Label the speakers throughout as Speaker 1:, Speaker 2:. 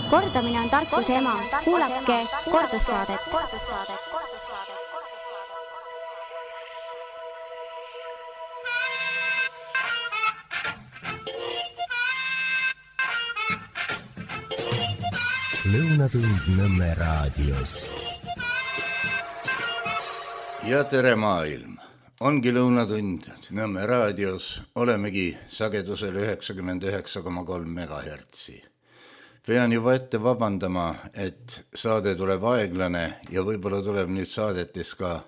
Speaker 1: Kordamine on tarkuse ema. Kuulake kordussaadet.
Speaker 2: Lõunatund Nõmme raadios.
Speaker 3: Ja tere maailm! Ongi lõunatund Nõmme raadios. Olemegi sagedusel 99,3 MHz. Pean juba ette vabandama, et saade tuleb aeglane ja võib-olla tuleb nüüd saadetes ka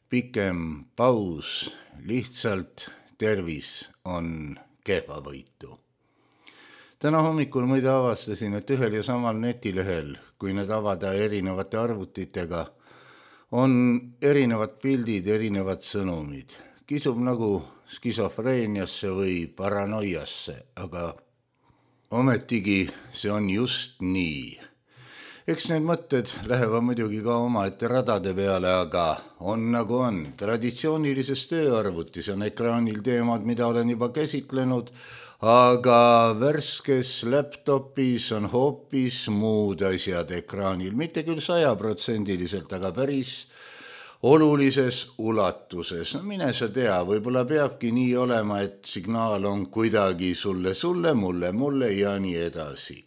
Speaker 3: pikem paus. Lihtsalt tervis on kehvavõitu. Täna hommikul muide avastasin, et ühel ja samal netilehel, kui need avada erinevate arvutitega, on erinevad pildid, erinevad sõnumid. Kisub nagu skisofreeniasse või paranoiasse, aga ometigi see on just nii. Eks need mõtted lähevad muidugi ka omaette radade peale, aga on nagu on. Traditsioonilises tööarvutis on ekraanil teemad, mida olen juba käsitlenud, aga värskes laptopis on hoopis muud asjad ekraanil. Mitte küll 100%, aga päris olulises ulatuses. No mine sa tea, võib-olla peabki nii olema, et signaal on kuidagi sulle, mulle ja nii edasi.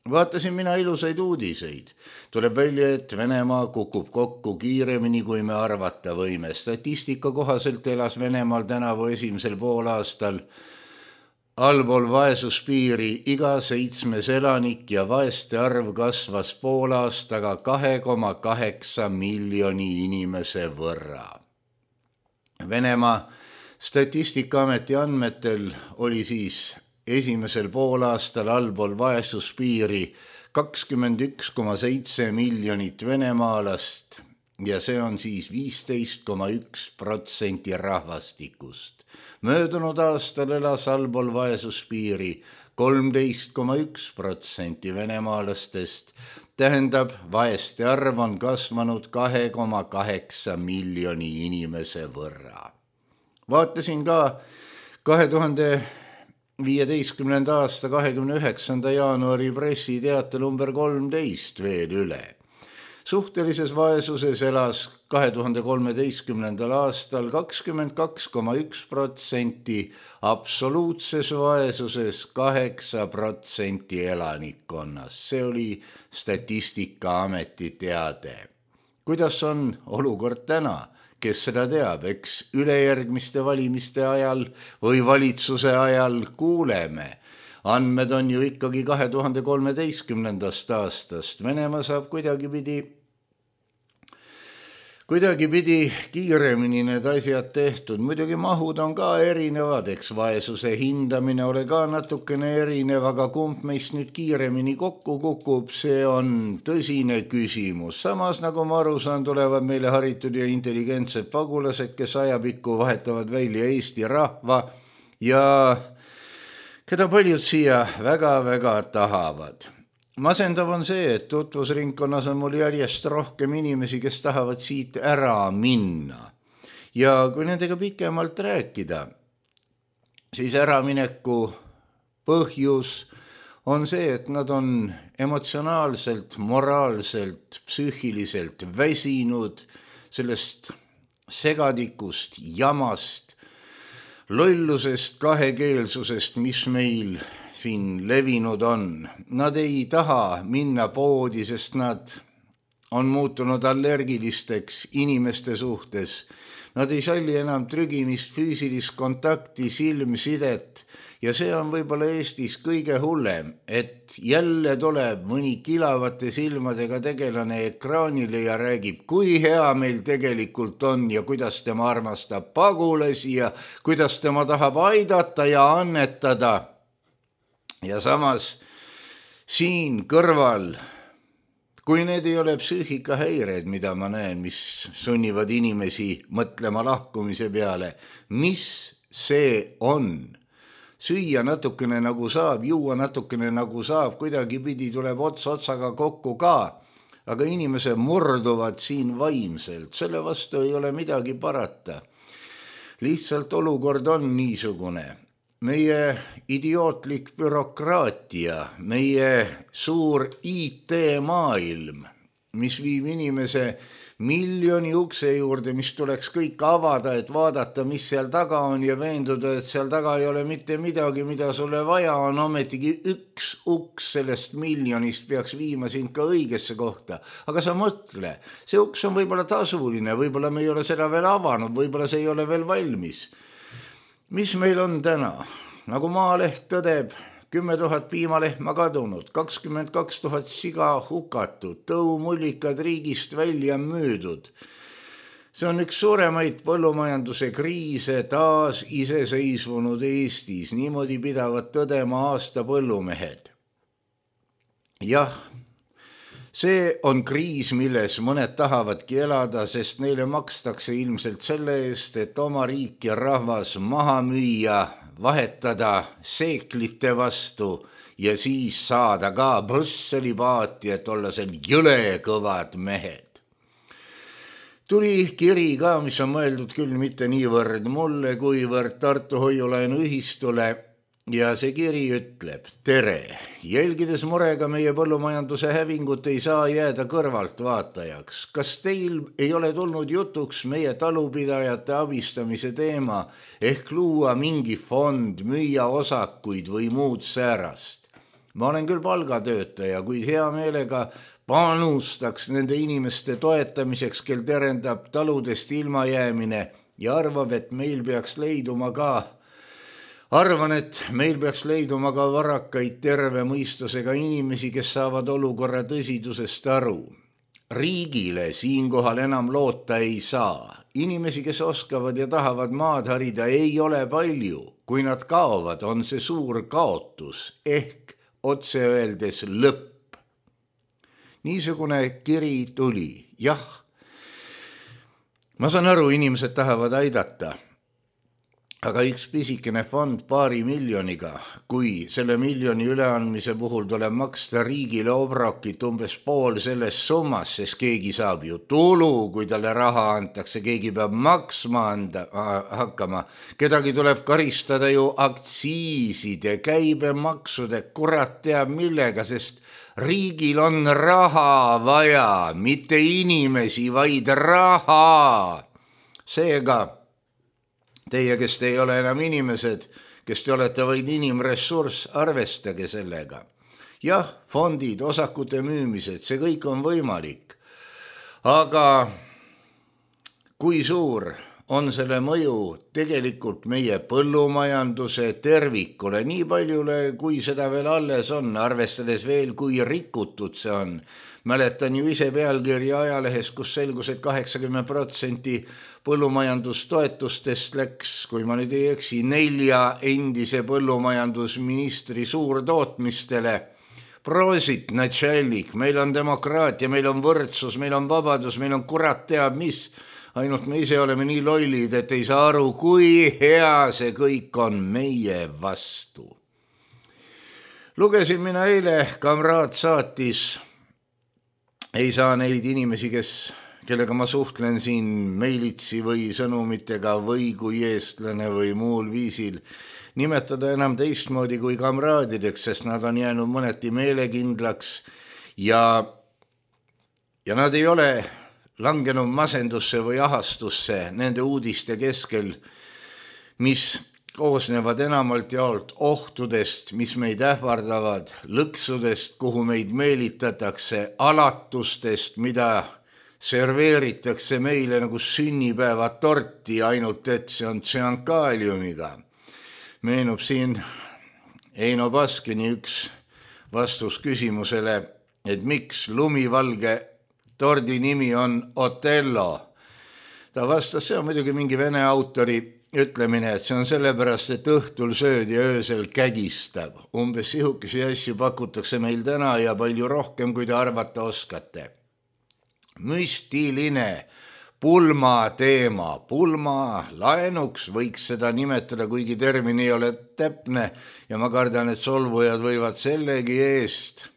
Speaker 3: Vaatasin mina ilusaid uudiseid. Tuleb välja, et Venemaa kukub kokku kiiremini, kui me arvata võime. Statistika kohaselt elas Venemaal tänavu esimesel poolaastal allpool vaesuspiiri iga 7. elanik ja vaeste arv kasvas poolaastaga 2,8 miljoni inimese võrra. Venemaa Statistikaameti andmetel oli siis esimesel poolaastal allpool vaesuspiiri 21,7 miljonit venemaalast ja see on siis 15,1% rahvastikust. Möödunud aastal elas allpool vaesuspiiri 13,1% venemaalastest, tähendab, vaeste arv on kasvanud 2,8 miljoni inimese võrra. Vaatasin ka 2015. aasta 29. jaanuari pressiteate number 13 veel üle. Suhtelises vaesuses elas 2013. aastal 22,1%, absoluutses vaesuses 8% elanikkonnast. See oli Statistikaameti teade. Kuidas on olukord täna? Kes seda teab? Eks ülejärgmiste valimiste ajal või valitsuse ajal kuuleme. Andmed on ju ikkagi 2013. aastast. Venemaa saab kuidagipidi kiiremini need asjad tehtud. Muidugi mahud on ka erinevad, eks vaesuse hindamine ole ka natukene erinev, aga kumb meist nüüd kiiremini kokku kukub, see on tõsine küsimus. Samas, nagu ma aru saan, tulevad meile haritud ja intelligentsed pagulased, kes ajapikku vahetavad välja Eesti rahva ja keda paljud siia väga-väga tahavad. Masendav on see, et tutvusringkonnas on mul järjest rohkem inimesi, kes tahavad siit ära minna. Ja kui nendega pikemalt rääkida, siis äramineku põhjus on see, et nad on emotsionaalselt, moraalselt, psüühiliselt väsinud sellest segadikust, jamast, lollusest, kahekeelsusest, mis meil siin levinud on. Nad ei taha minna poodi, sest nad on muutunud allergilisteks inimeste suhtes. Nad ei salli enam trügimist, füüsilist kontakti, silmsidet ja see on võib-olla Eestis kõige hullem, et jälle tuleb mõni kilavate silmadega tegelane ekraanile ja räägib, kui hea meil tegelikult on ja kuidas tema armastab pagulasi ja kuidas tema tahab aidata ja annetada. Ja samas siin kõrval, kui need ei ole psüühikahäired, mida ma näen, mis sunnivad inimesi mõtlema lahkumise peale, mis see on? Süüa natukene nagu saab, juua natukene nagu saab, kuidagipidi tuleb otsaga kokku ka, aga inimesed murduvad siin vaimselt, selle vastu ei ole midagi parata. Lihtsalt olukord on niisugune. meie idiootlik bürokraatia, meie suur IT-maailm, mis viib inimese miljoni ukse juurde, mis tuleks kõik avada, et vaadata, mis seal taga on ja veenduda, et seal taga ei ole mitte midagi, mida sulle vaja on, ometigi üks uks sellest miljonist peaks viima sind ka õigesse kohta. Aga sa mõtle, see uks on võib-olla tasuline, võib-olla me ei ole seda veel avanud, võib-olla see ei ole veel valmis. Mis meil on täna? Nagu Maaleht tõdeb, 10 000 piimalehma kadunud, 22 000 siga hukatud, tõumullikad riigist välja müüdud. See on üks suuremaid põllumajanduse kriise taas iseseisvunud Eestis. Niimoodi pidavad tõdema aasta põllumehed. Jah, see on kriis, milles mõned tahavadki elada, sest neile makstakse ilmselt selle eest, et oma riik ja rahvas maha müüa, vahetada seeklite vastu ja siis saada ka Brüsseli paati, et olla seal jõle kõvad mehed. Tuli kiri ka, mis on mõeldud küll mitte niivõrd mulle, kuivõrd Tartu Hoiulaenu ühistule ja see kiri ütleb: tere, jälgides murega meie põllumajanduse hävingut ei saa jääda kõrvalt vaatajaks. Kas teil ei ole tulnud jutuks meie talupidajate abistamise teema ehk luua mingi fond, müüa osakuid või muud säärast? Ma olen küll palgatöötaja, kuid hea meelega panustaks nende inimeste toetamiseks, kel terendab taludest ilmajäämine ja arvab, et meil peaks leiduma ka varakaid terve mõistusega inimesi, kes saavad olukorra tõsidusest aru. Riigile siinkohal enam loota ei saa. Inimesi, kes oskavad ja tahavad maad harida, ei ole palju. Kui nad kaovad, on see suur kaotus ehk otse öeldes lõpp. Niisugune kiri tuli. Jah, ma saan aru, inimesed tahavad aidata. Aga üks pisikene fond 2 miljoniga, kui selle miljoni üleandmise puhul tuleb maksta riigile obrokit umbes pool selles summas, sest keegi saab ju tulu, kui talle raha antakse, keegi peab maksma hakkama. Kedagi tuleb karistada ju aktsiiside, käibemaksude, kurat teab millega, sest riigil on raha vaja, mitte inimesi, vaid raha. Seega, teie, kes te ei ole enam inimesed, kes te olete vaid inimressurss, arvestage sellega. Jah, fondid, osakute müümised, see kõik on võimalik. Aga kui suur on selle mõju tegelikult meie põllumajanduse tervikule, nii paljule, kui seda veel alles on, arvestades veel, kui rikutud see on. Mäletan ju ise pealkirja ajalehes, kus selgus, et 80% põllumajandustoetustest läks, kui ma nüüd ei eksi, 4 endise põllumajandusministri suurtootmistele. Prosit, natšallik, meil on demokraatia, meil on võrdsus, meil on vabadus, meil on kurat teab mis. Ainult me ise oleme nii lollid, et ei saa aru, kui hea see kõik on meie vastu. Lugesin mina eile, kamraad saatis. Ei saa neid inimesi, kellega ma suhtlen siin meilitsi või sõnumitega või kui eestlane või muul viisil, nimetada enam teistmoodi kui kamraadideks, sest nad on jäänud mõneti meelekindlaks ja nad ei ole langenud masendusse või ahastusse nende uudiste keskel, mis koosnevad enamalt jaolt ohtudest, mis meid ähvardavad, lõksudest, kuhu meid meelitatakse, alatustest, mida serveeritakse meile nagu sünnipäevatorti, ainult et see on tsüankaaliumiga. Meenub siin Eino Baskini üks vastus küsimusele, et miks lumivalge tordi nimi on Otello. Ta vastas, see on muidugi mingi vene autori ütlemine, et see on sellepärast, et õhtul sööd ja öösel kägistab. Umbes sihukesi asju pakutakse meil täna ja palju rohkem, kui te arvata oskate. Müstiline pulma teema. Pulma laenuks võiks seda nimetada, kuigi termin ei ole täpne ja ma kardan, et solvujad võivad sellegi eest.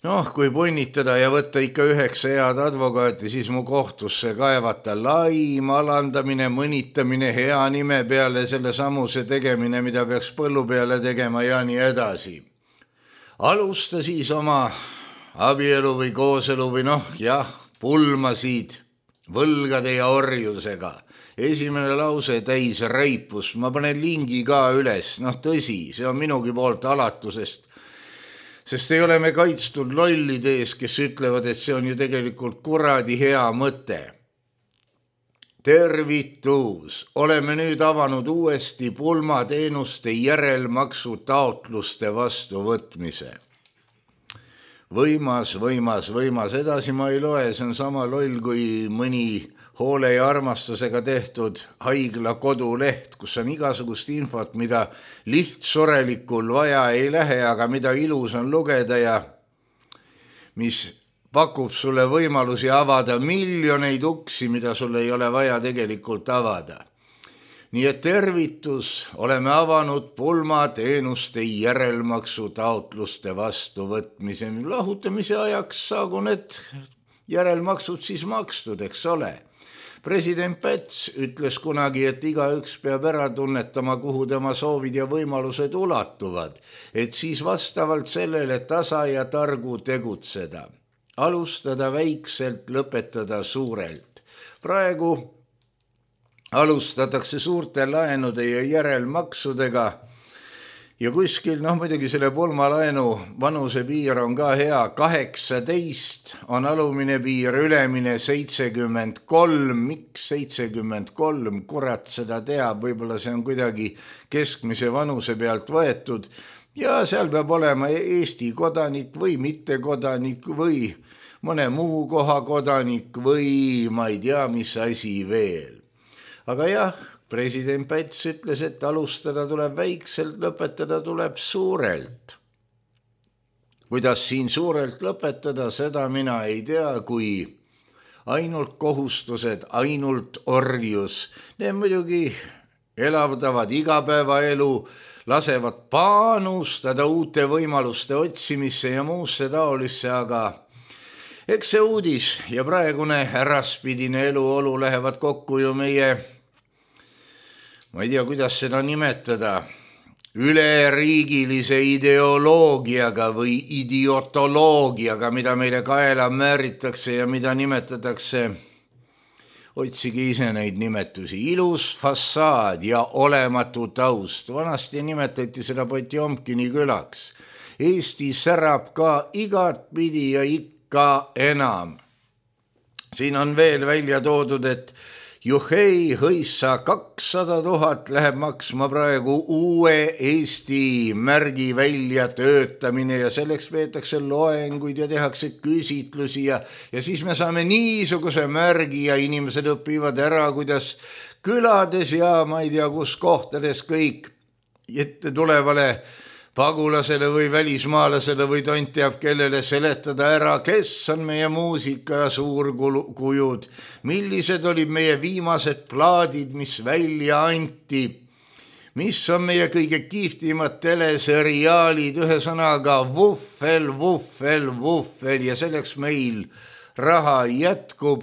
Speaker 3: Noh, kui punnitada ja võtta ikka 9 head advokaati, siis mu kohtusse kaevata laim, alandamine, mõnitamine, hea nime peale, selle samuse tegemine, mida peaks põllu peale tegema ja nii edasi. Alusta siis oma abielu või kooselu või pulmasid võlgade ja orjusega. Esimene lause täis reipust, ma panen lingi ka üles, tõsi, see on minugi poolt alatusest, sest ei ole me kaitstud lollide ees, kes ütlevad, et see on ju tegelikult kuradi hea mõte. Tervitus, oleme nüüd avanud uuesti pulmateenuste järelmaksu taotluste vastuvõtmise. Võimas, edasi ma ei loe, see on sama loll kui mõni hoole ja armastusega tehtud haigla koduleht, kus on igasugust infot, mida lihtsurelikul vaja ei lähe, aga mida ilus on lugeda ja mis pakub sulle võimalusi avada miljoneid uksi, mida sul ei ole vaja tegelikult avada. Nii et tervitus, oleme avanud pulmateenuste järelmaksu taotluste vastuvõtmise. Lahutamise ajaks saagu need järelmaksud siis makstud, eks ole. President Päts ütles kunagi, et igaüks peab ära tunnetama, kuhu tema soovid ja võimalused ulatuvad, et siis vastavalt sellele tasa ja targu tegutseda. Alustada väikselt, lõpetada suurelt. Praegu alustatakse suurte laenude ja järelmaksudega ja kuskil, muidugi selle pulmalaenu vanuse piir on ka hea, 18 on alumine piir, ülemine 73, miks 73, kurat seda teab, võib-olla see on kuidagi keskmise vanuse pealt võetud ja seal peab olema Eesti kodanik või mittekodanik või mõne muu koha kodanik või ma ei tea, mis asi veel. Aga jah, president Päts ütles, et alustada tuleb väikselt, lõpetada tuleb suurelt. Kuidas siin suurelt lõpetada, seda mina ei tea, kui ainult kohustused, ainult orjus. Need muidugi elavdavad igapäevaelu, lasevad panustada uute võimaluste otsimisse ja muusse taolisse, aga eks see uudis ja praegune äraspidine eluolu lähevad kokku ju meie, ma ei tea, kuidas seda nimetada, üleriigilise ideoloogiaga või idiotoloogiaga, mida meile kaela määritakse ja mida nimetatakse, otsige ise neid nimetusi, ilus fassaad ja olematu taust. Vanasti nimetati seda Potjomkini külaks. Eesti särab ka igat pidi ja ikka enam. Siin on veel välja toodud, et juhei, hõissa 200 000 läheb maksma praegu uue Eesti märgi välja töötamine ja selleks peetakse loenguid ja tehakse küsitlusi ja siis me saame niisuguse märgi ja inimesed õpivad ära, kuidas külades ja ma ei tea, kus kohtades kõik ette tulevale pagulasele või välismaalasele või tont teab kellele seletada ära, kes on meie muusika ja suurkujud, millised olid meie viimased plaadid, mis välja anti, mis on meie kõige kihvtimad teleseriaalid, ühesõnaga vuffel ja selleks meil raha jätkub.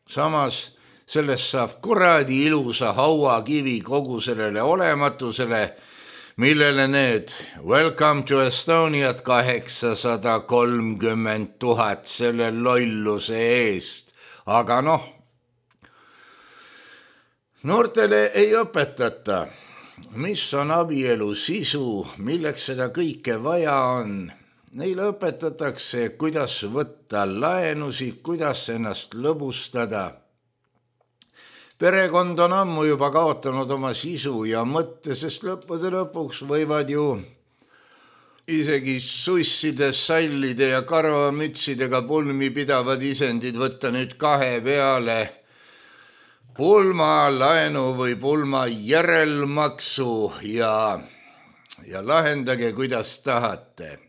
Speaker 3: Samas sellest saab kuradi ilusa hauakivi kogu sellele olematusele, millele need Welcome to Estoniat 830 000 selle lolluse eest. Aga noortele ei õpetata, mis on abielu sisu, milleks seda kõike vaja on. Neile õpetatakse, kuidas võtta laenusid, kuidas ennast lõbustada. Perekond on ammu juba kaotanud oma sisu ja mõtte, sest lõppude lõpuks võivad ju isegi susside, sallide ja karvamütsidega pulmi pidavad isendid võtta nüüd 2 peale pulma laenu või pulma järelmaksu ja lahendage, kuidas tahate.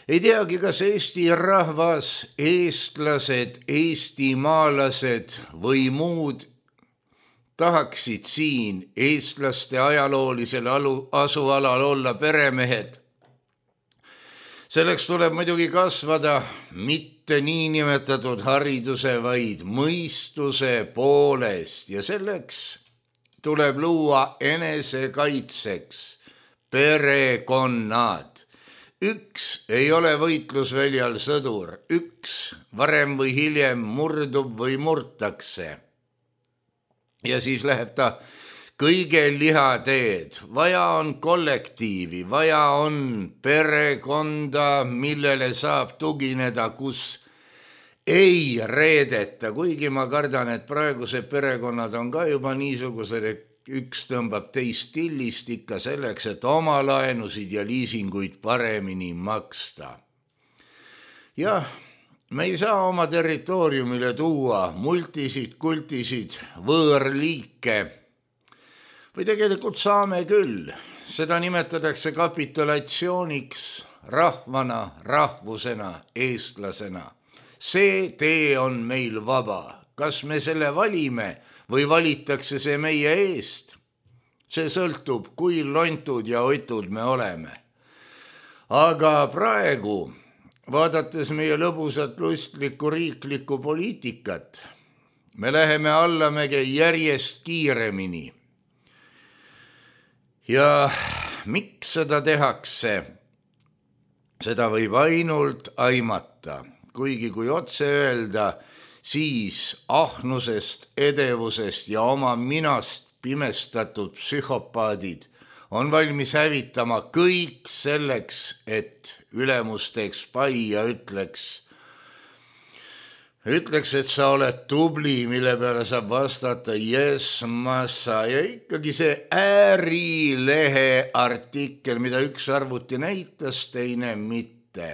Speaker 3: Ei teagi, kas Eesti rahvas, eestlased, eestimaalased või muud tahaksid siin eestlaste ajaloolisel asualal olla peremehed. Selleks tuleb muidugi kasvada mitte niinimetatud hariduse, vaid mõistuse poolest ja selleks tuleb luua enesekaitseks perekonnad. Üks ei ole võitlusväljal sõdur, üks varem või hiljem murdub või murtakse. Ja siis läheb ta kõige lihateed. Vaja on kollektiivi, vaja on perekonda, millele saab tugineda, kus ei reedeta, kuigi ma kardan, et praegused perekonnad on ka juba niisugused, et üks tõmbab teist tillist ikka selleks, et oma laenusid ja liisinguid paremini maksta. Jah, me ei saa oma territooriumile tuua multisid, kultisid, võõrliike või tegelikult saame küll. Seda nimetatakse kapitulatsiooniks rahvana, rahvusena, eestlasena. See tee on meil vaba. Kas me selle valime või valitakse see meie eest? See sõltub, kui lontud ja otud me oleme. Aga praegu, vaadates meie lõbusat lustlikku riiklikku poliitikat, me läheme allamäge järjest kiiremini. Ja miks seda tehakse? Seda võib ainult aimata, kuigi kui otse öelda, siis ahnusest, edevusest ja oma minast pimestatud psühhopaadid on valmis hävitama kõik selleks, et ülemus teeks pai ja ütleks, et sa oled tubli, mille peale saab vastata yes, massa. Ja ikkagi see Ärilehe artikkel, mida üks arvuti näitas, teine mitte.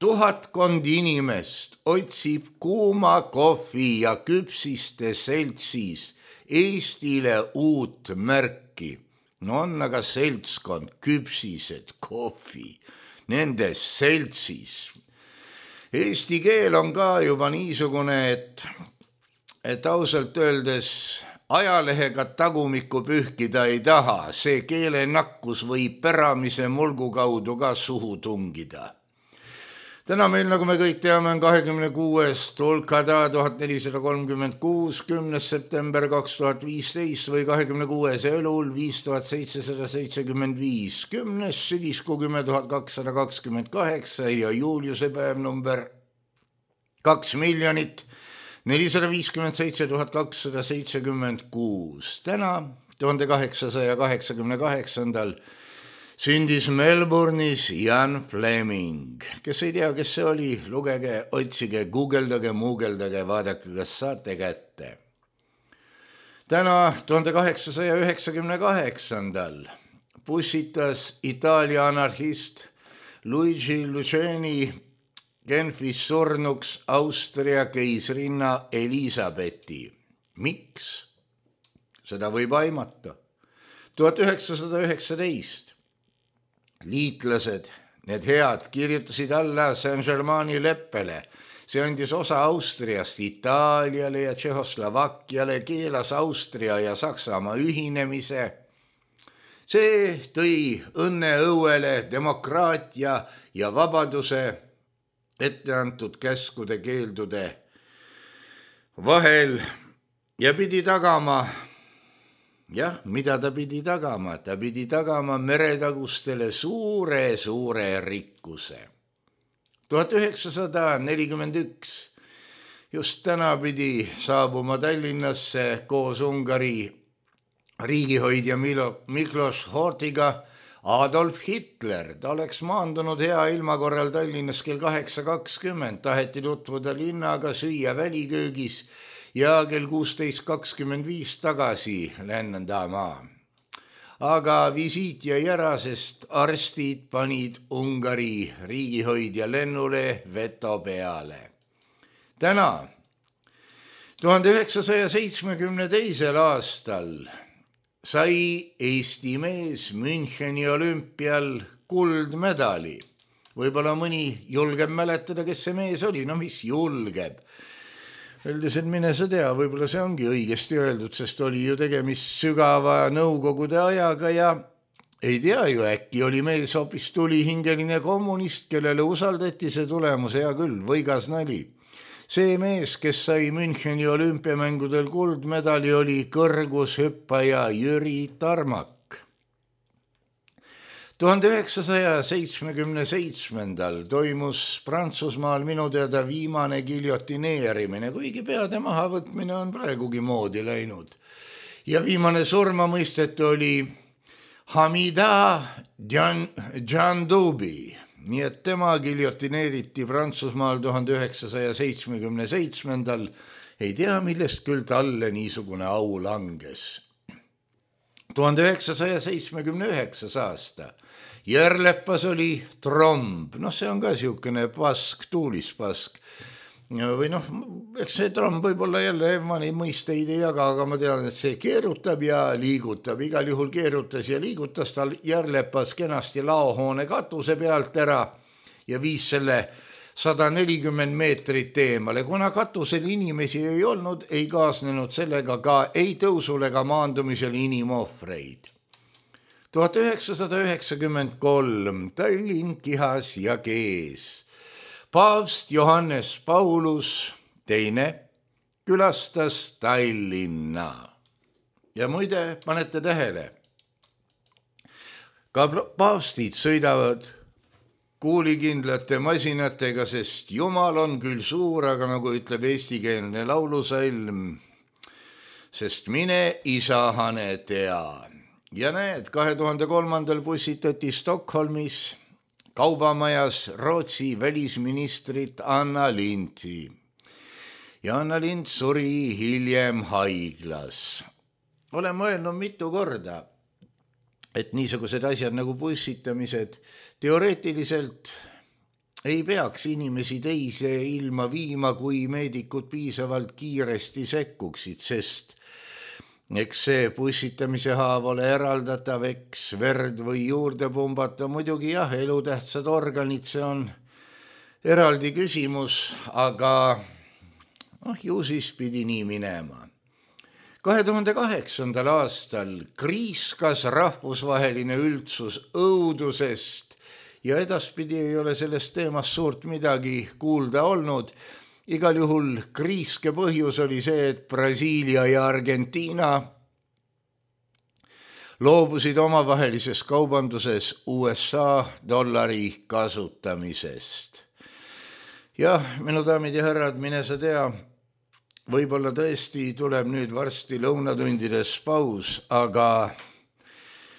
Speaker 3: 1000 inimest otsib kuuma kohvi ja küpsiste seltsis Eestile uut märki. No on aga seltskond, küpsised, kohvi, nendes seltsis. Eesti keel on ka juba niisugune, et ausalt öeldes ajalehega tagumikku pühkida ei taha. See keele nakkus võib päramise mulgu kaudu ka suhu tungida. Täna meil, nagu me kõik teame, on 26. Tulkada 1436, 10. september 2015 või 26. Elul 5775, 10. sügiskuu 10.228 ja Juliuse päev number 2 457 276. Täna 1888. sündis Melbourne'is Ian Fleming. Kes ei tea, kes see oli, lugege, otsige, guugeldage, muugeldage, vaadake, kas saate kätte. Täna 1898. pussitas Itaalia anarhist Luigi Luceni Genfis surnuks Austria keisrinna Elisabethi. Miks? Seda võib aimata. 1919. Liitlased, need head, kirjutasid alla Saint-Germaini leppele. See andis osa Austriast Itaaliale ja Tšehhoslovakkiale, keelas Austria ja Saksamaa ühinemise. See tõi õnne õuele demokraatia ja vabaduse etteantud käskude keeldude vahel ja pidi tagama. Jah, mida ta pidi tagama? Ta pidi tagama meretagustele suure rikkuse. 1941. Just täna pidi saabuma Tallinnasse koos Ungari riigihoidja Miklos Horthiga Adolf Hitler. Ta oleks maandunud hea ilma korral Tallinnas kell 8.20. Taheti tutvuda linnaga, süüa väliköögis ja kell 16.25 tagasi lennendama. Aga visiit jäi ära, sest arstid panid Ungari riigihoidja lennule veto peale. Täna, 1972. aastal sai Eesti mees Müncheni olümpial kuldmedali. Võib-olla mõni julgeb mäletada, kes see mees oli. No mis julgeb? Üldiselt mine sa tea, võib-olla see ongi õigesti öeldud, sest oli ju tegemist sügava nõukogude ajaga ja ei tea ju, äkki oli mees hoopis tulihingeline kommunist, kellele usaldati see tulemus, hea küll, võigas nali. See mees, kes sai Müncheni olümpiamängudel kuldmedali, oli kõrgushüppaja Jüri Tarmak. 1977 toimus Prantsusmaal minu teada viimane giljotineerimine, kuigi peade mahavõtmine on praegugi moodi läinud. Ja viimane surmamõistet oli Hamida Djandoubi, nii et tema giljotineeriti Prantsusmaal 1977. Ei tea, millest küll talle niisugune au langes. 1979. aasta. Järlepas oli tromb, see on ka siukene pask, tuulispask. Või eks see tromb võib-olla jälle, ma neid mõisteid ei jaga, aga ma tean, et see keerutab ja liigutab. Igal juhul keerutas ja liigutas tal Järlepas kenasti laohoone katuse pealt ära ja viis selle 140 meetrit eemale. Kuna katusel inimesi ei olnud, ei kaasnenud sellega ka ei tõusul ega maandumisel inimohvreid. 1993 Tallinn kihas ja kees. Paavst Johannes Paulus II külastas Tallinna. Ja muide, panete tähele, ka paavstid sõidavad kuulikindlate masinatega, sest Jumal on küll suur, aga nagu ütleb eestikeelne laulusalm, sest mine isa hane tea. Ja näed, 2003. pussitati Stockholmis kaubamajas Rootsi välisministrit Anna Lindti. Ja Anna Lind suri hiljem haiglas. Olen mõelnud mitu korda, et niisugused asjad nagu pussitamised teoreetiliselt ei peaks inimesi teise ilma viima, kui meedikud piisavalt kiiresti sekkuksid, sest eks see pussitamise haav ole eraldatav, eks verd või juurde pumbata, muidugi jah, elutähtsad organid, see on eraldi küsimus, aga ju siis pidi nii minema. 2008. aastal kriiskas rahvusvaheline üldsus õudusest ja edaspidi ei ole sellest teemast suurt midagi kuulda olnud. Igal juhul kriiske põhjus oli see, et Brasiilia ja Argentiina loobusid omavahelises kaubanduses USA dollari kasutamisest. Ja minu daamid ja härrad, mine sa tea, võib-olla tõesti tuleb nüüd varsti lõunatundides paus, aga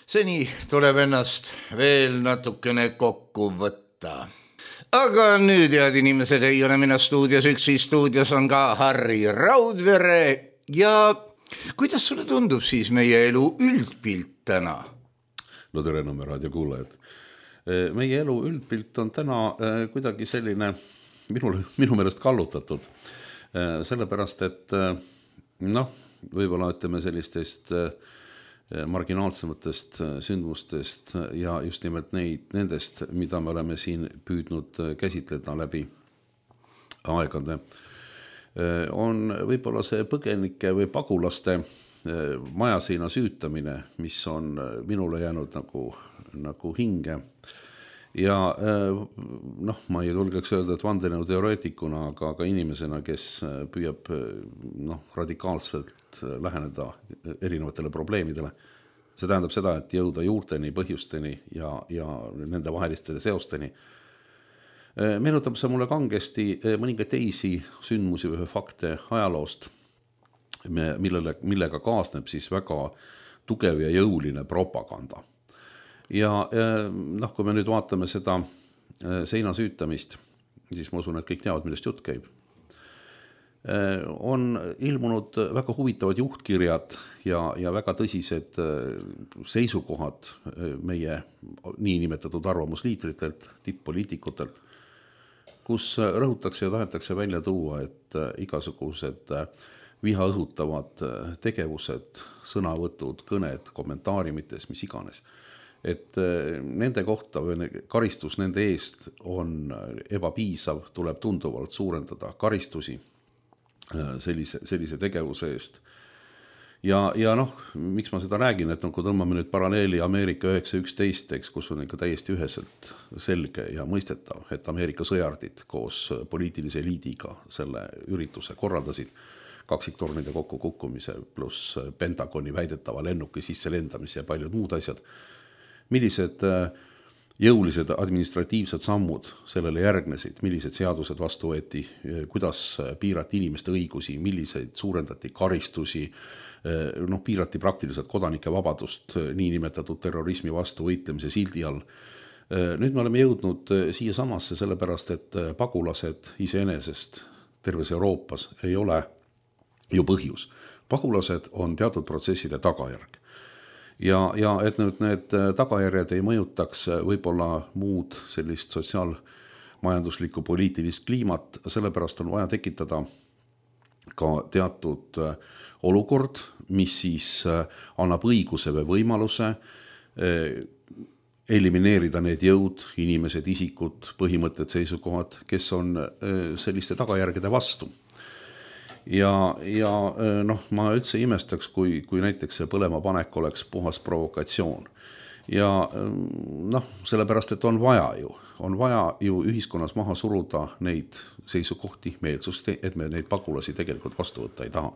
Speaker 3: seni tuleb ennast veel natukene kokku võtta. Aga nüüd, head inimesed, ei ole mina stuudios üksi, stuudios on ka Harri Raudvere ja kuidas sulle tundub siis meie elu üldpilt täna?
Speaker 4: No tere, Nõmme raadio kuulajad. Meie elu üldpilt on täna kuidagi selline minu meelest kallutatud, sellepärast, et võib-olla ütleme sellistest marginaalsematest sündmustest ja just nimelt nendest, mida me oleme siin püüdnud käsitleda läbi aegade, on võib-olla see põgenike või pagulaste majaseina süütamine, mis on minule jäänud nagu hinge. Ja ma ei julgeks öelda, et vandenõuteoreetikuna, aga ka inimesena, kes püüab radikaalselt läheneda erinevatele probleemidele. See tähendab seda, et jõuda juurteni, põhjusteni ja nende vahelistele seosteni. Meenutab see mulle kangesti mõningaid teisi sündmusi või fakte ajaloost, millega kaasneb siis väga tugev ja jõuline propaganda. Ja kui me nüüd vaatame seda seina süütamist, siis ma usun, et kõik teavad, millest jutt käib. On ilmunud väga huvitavad juhtkirjad ja väga tõsised seisukohad meie niinimetatud arvamusliidritelt, tipp-poliitikutelt, kus rõhutakse ja tahetakse välja tuua, et igasugused viha õhutavad tegevused, sõnavõtud, kõned, kommentaariumites, mis iganes, et nende kohta või karistus nende eest on ebapiisav, tuleb tunduvalt suurendada karistusi sellise tegevuse eest. ja noh, miks ma seda räägin, et kui tõmbame nüüd paralleeli Ameerika 911, kus on ikka täiesti üheselt selge ja mõistetav, et Ameerika sõjardid koos poliitilise eliidiga selle ürituse korraldasid, kaksiktornide kokkukukkumise pluss Pentagoni väidetava lennuki sisse lendamise ja paljud muud asjad. Millised jõulised administratiivsed sammud sellele järgnesid, millised seadused vastu võeti, kuidas piirati inimeste õigusi, milliseid suurendati karistusi, piirati praktiliselt kodanike vabadust niinimetatud terrorismi vastu võitlemise sildi all. Nüüd me oleme jõudnud siia samasse sellepärast, et pagulased iseenesest terves Euroopas ei ole ju põhjus. Pagulased on teatud protsesside tagajärg. Ja et nüüd need tagajärjed ei mõjutaks võib-olla muud sellist sotsiaalmajanduslikku poliitilist kliimat, sellepärast on vaja tekitada ka teatud olukord, mis siis annab õiguse või võimaluse elimineerida need jõud, inimesed, isikud, põhimõtted, seisukohad, kes on selliste tagajärgede vastu. Ja ma üldse imestaks, kui näiteks see põlema panek oleks puhas provokatsioon. Ja sellepärast, et on vaja ju ühiskonnas maha suruda neid seisukohti, meelsust, et me neid pagulasi tegelikult vastu võtta ei taha.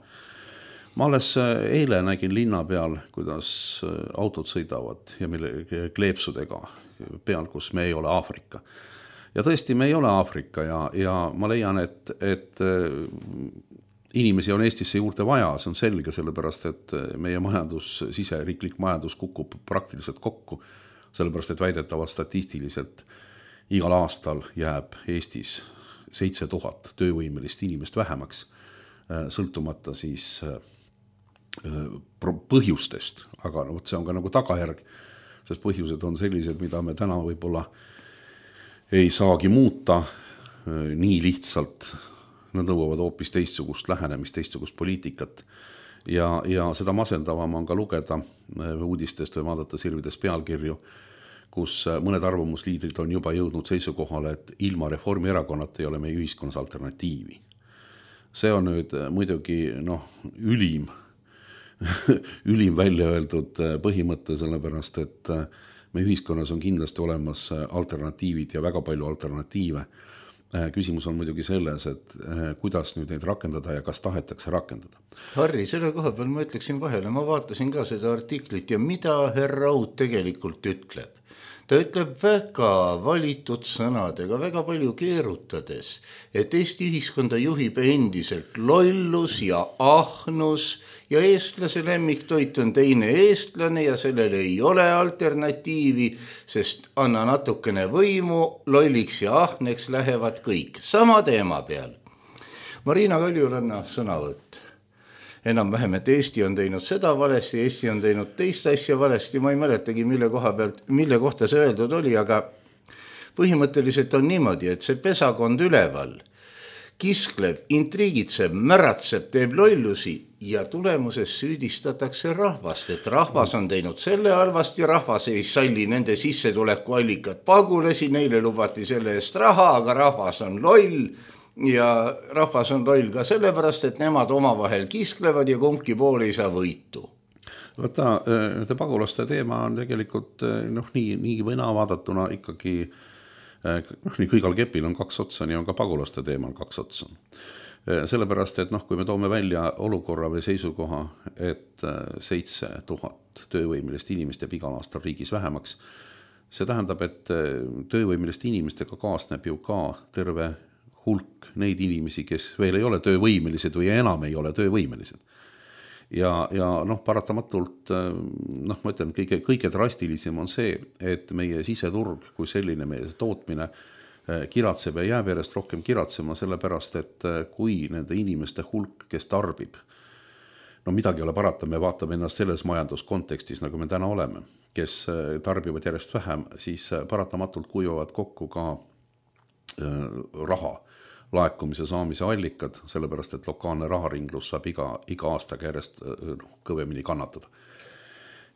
Speaker 4: Ma alles eile nägin linna peal, kuidas autod sõidavad ja mille kleepsudega peal, kus me ei ole Aafrika. Ja tõesti, me ei ole Aafrika ja ma leian, et inimesi on Eestisse juurde vaja, see on selge, sellepärast, et meie siseriiklik majandus kukub praktiliselt kokku, sellepärast, et väidetavalt statistiliselt igal aastal jääb Eestis 7000 töövõimelist inimest vähemaks, sõltumata siis põhjustest, aga see on ka nagu tagajärg, sest põhjused on sellised, mida me täna võib-olla ei saagi muuta nii lihtsalt. Nad nõuavad hoopis teistsugust lähenemist, teistsugust poliitikat ja seda masendavam on ka lugeda uudistest või vaadata sirvides pealkirju, kus mõned arvamusliidrid on juba jõudnud seisukohale, et ilma Reformierakonnata ei ole meie ühiskonnas alternatiivi. See on nüüd muidugi ülim välja öeldud põhimõte, sellepärast, et meie ühiskonnas on kindlasti olemas alternatiivid ja väga palju alternatiive. Küsimus on muidugi selles, et kuidas nüüd neid rakendada ja kas tahetakse rakendada.
Speaker 3: Harri, selle koha peal ma ütleksin vahele, ma vaatasin ka seda artiklit ja mida härra Raud tegelikult ütleb. Ta ütleb väga valitud sõnadega, väga palju keerutades, et Eesti ühiskonda juhib endiselt lollus ja ahnus ja eestlase lemmiktoit on teine eestlane ja sellele ei ole alternatiivi, sest anna natukene võimu, lolliks ja ahneks lähevad kõik. Sama teema peal. Marina Kaljuranna sõnavõtt. Enam vähem, et Eesti on teinud seda valesti, Eesti on teinud teist asja valesti, ma ei mäletagi, mille kohta see öeldud oli, aga põhimõtteliselt on niimoodi, et see pesakond üleval kiskleb, intriigitseb, märatseb, teeb lollusi ja tulemuses süüdistatakse rahvast, et rahvas on teinud selle halvasti, rahvas ei salli nende sissetulekuallikat pagulasi, neile lubati selle eest raha, aga rahvas on loll. Ja rahvas on loll ka sellepärast, et nemad omavahel kisklevad ja kumbki pool ei saa võitu.
Speaker 4: Võta, pagulaste teema on tegelikult nii või naa vaadatuna ikkagi, nii kui igal kepil on kaks otsa, nii on ka pagulaste teemal kaks otsa. Sellepärast, et kui me toome välja olukorra või seisukoha, et 7000 töövõimelist inimest jääb igal aastal riigis vähemaks, see tähendab, et töövõimelist inimestega kaasneb ju ka terve hulk neid inimesi, kes veel ei ole töövõimelised või enam ei ole töövõimelised. Ja paratamatult, ma ütlen, kõige drastilisem on see, et meie siseturg kui selline meie tootmine kiratseb ja jääb järjest rohkem kiratsema, sellepärast, et kui nende inimeste hulk, kes tarbib, midagi ei ole parata, me vaatame ennast selles majanduskontekstis, nagu me täna oleme, kes tarbivad järjest vähem, siis paratamatult kuivavad kokku ka raha laekumise saamise allikad, sellepärast, et lokaalne raharinglus saab iga aastaga järjest kõvemini kannatada.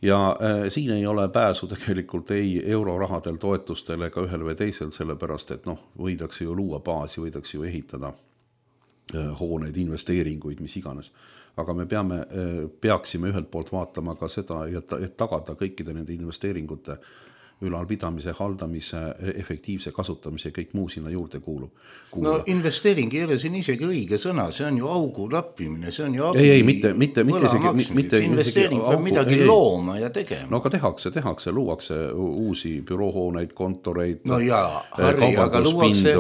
Speaker 4: Ja siin ei ole pääsu tegelikult ei eurorahadel, toetustel ega ühel või teisel, sellepärast, et võidakse ju luua baasi, võidakse ju ehitada hooneid, investeeringuid, mis iganes. aga me peaksime ühelt poolt vaatama ka seda, et tagada kõikide nende investeeringute ülalpidamise, haldamise, efektiivse kasutamise ja kõik muu sinna juurde kuulub.
Speaker 3: No investeering ei ole siin isegi õige sõna, see on ju augu lappimine, see on ju abi
Speaker 4: mitte
Speaker 3: investeering peab midagi looma ja tegema.
Speaker 4: No aga tehakse, luuakse uusi büroohooneid, kontoreid,
Speaker 3: no jaa, Harri, aga luuakse,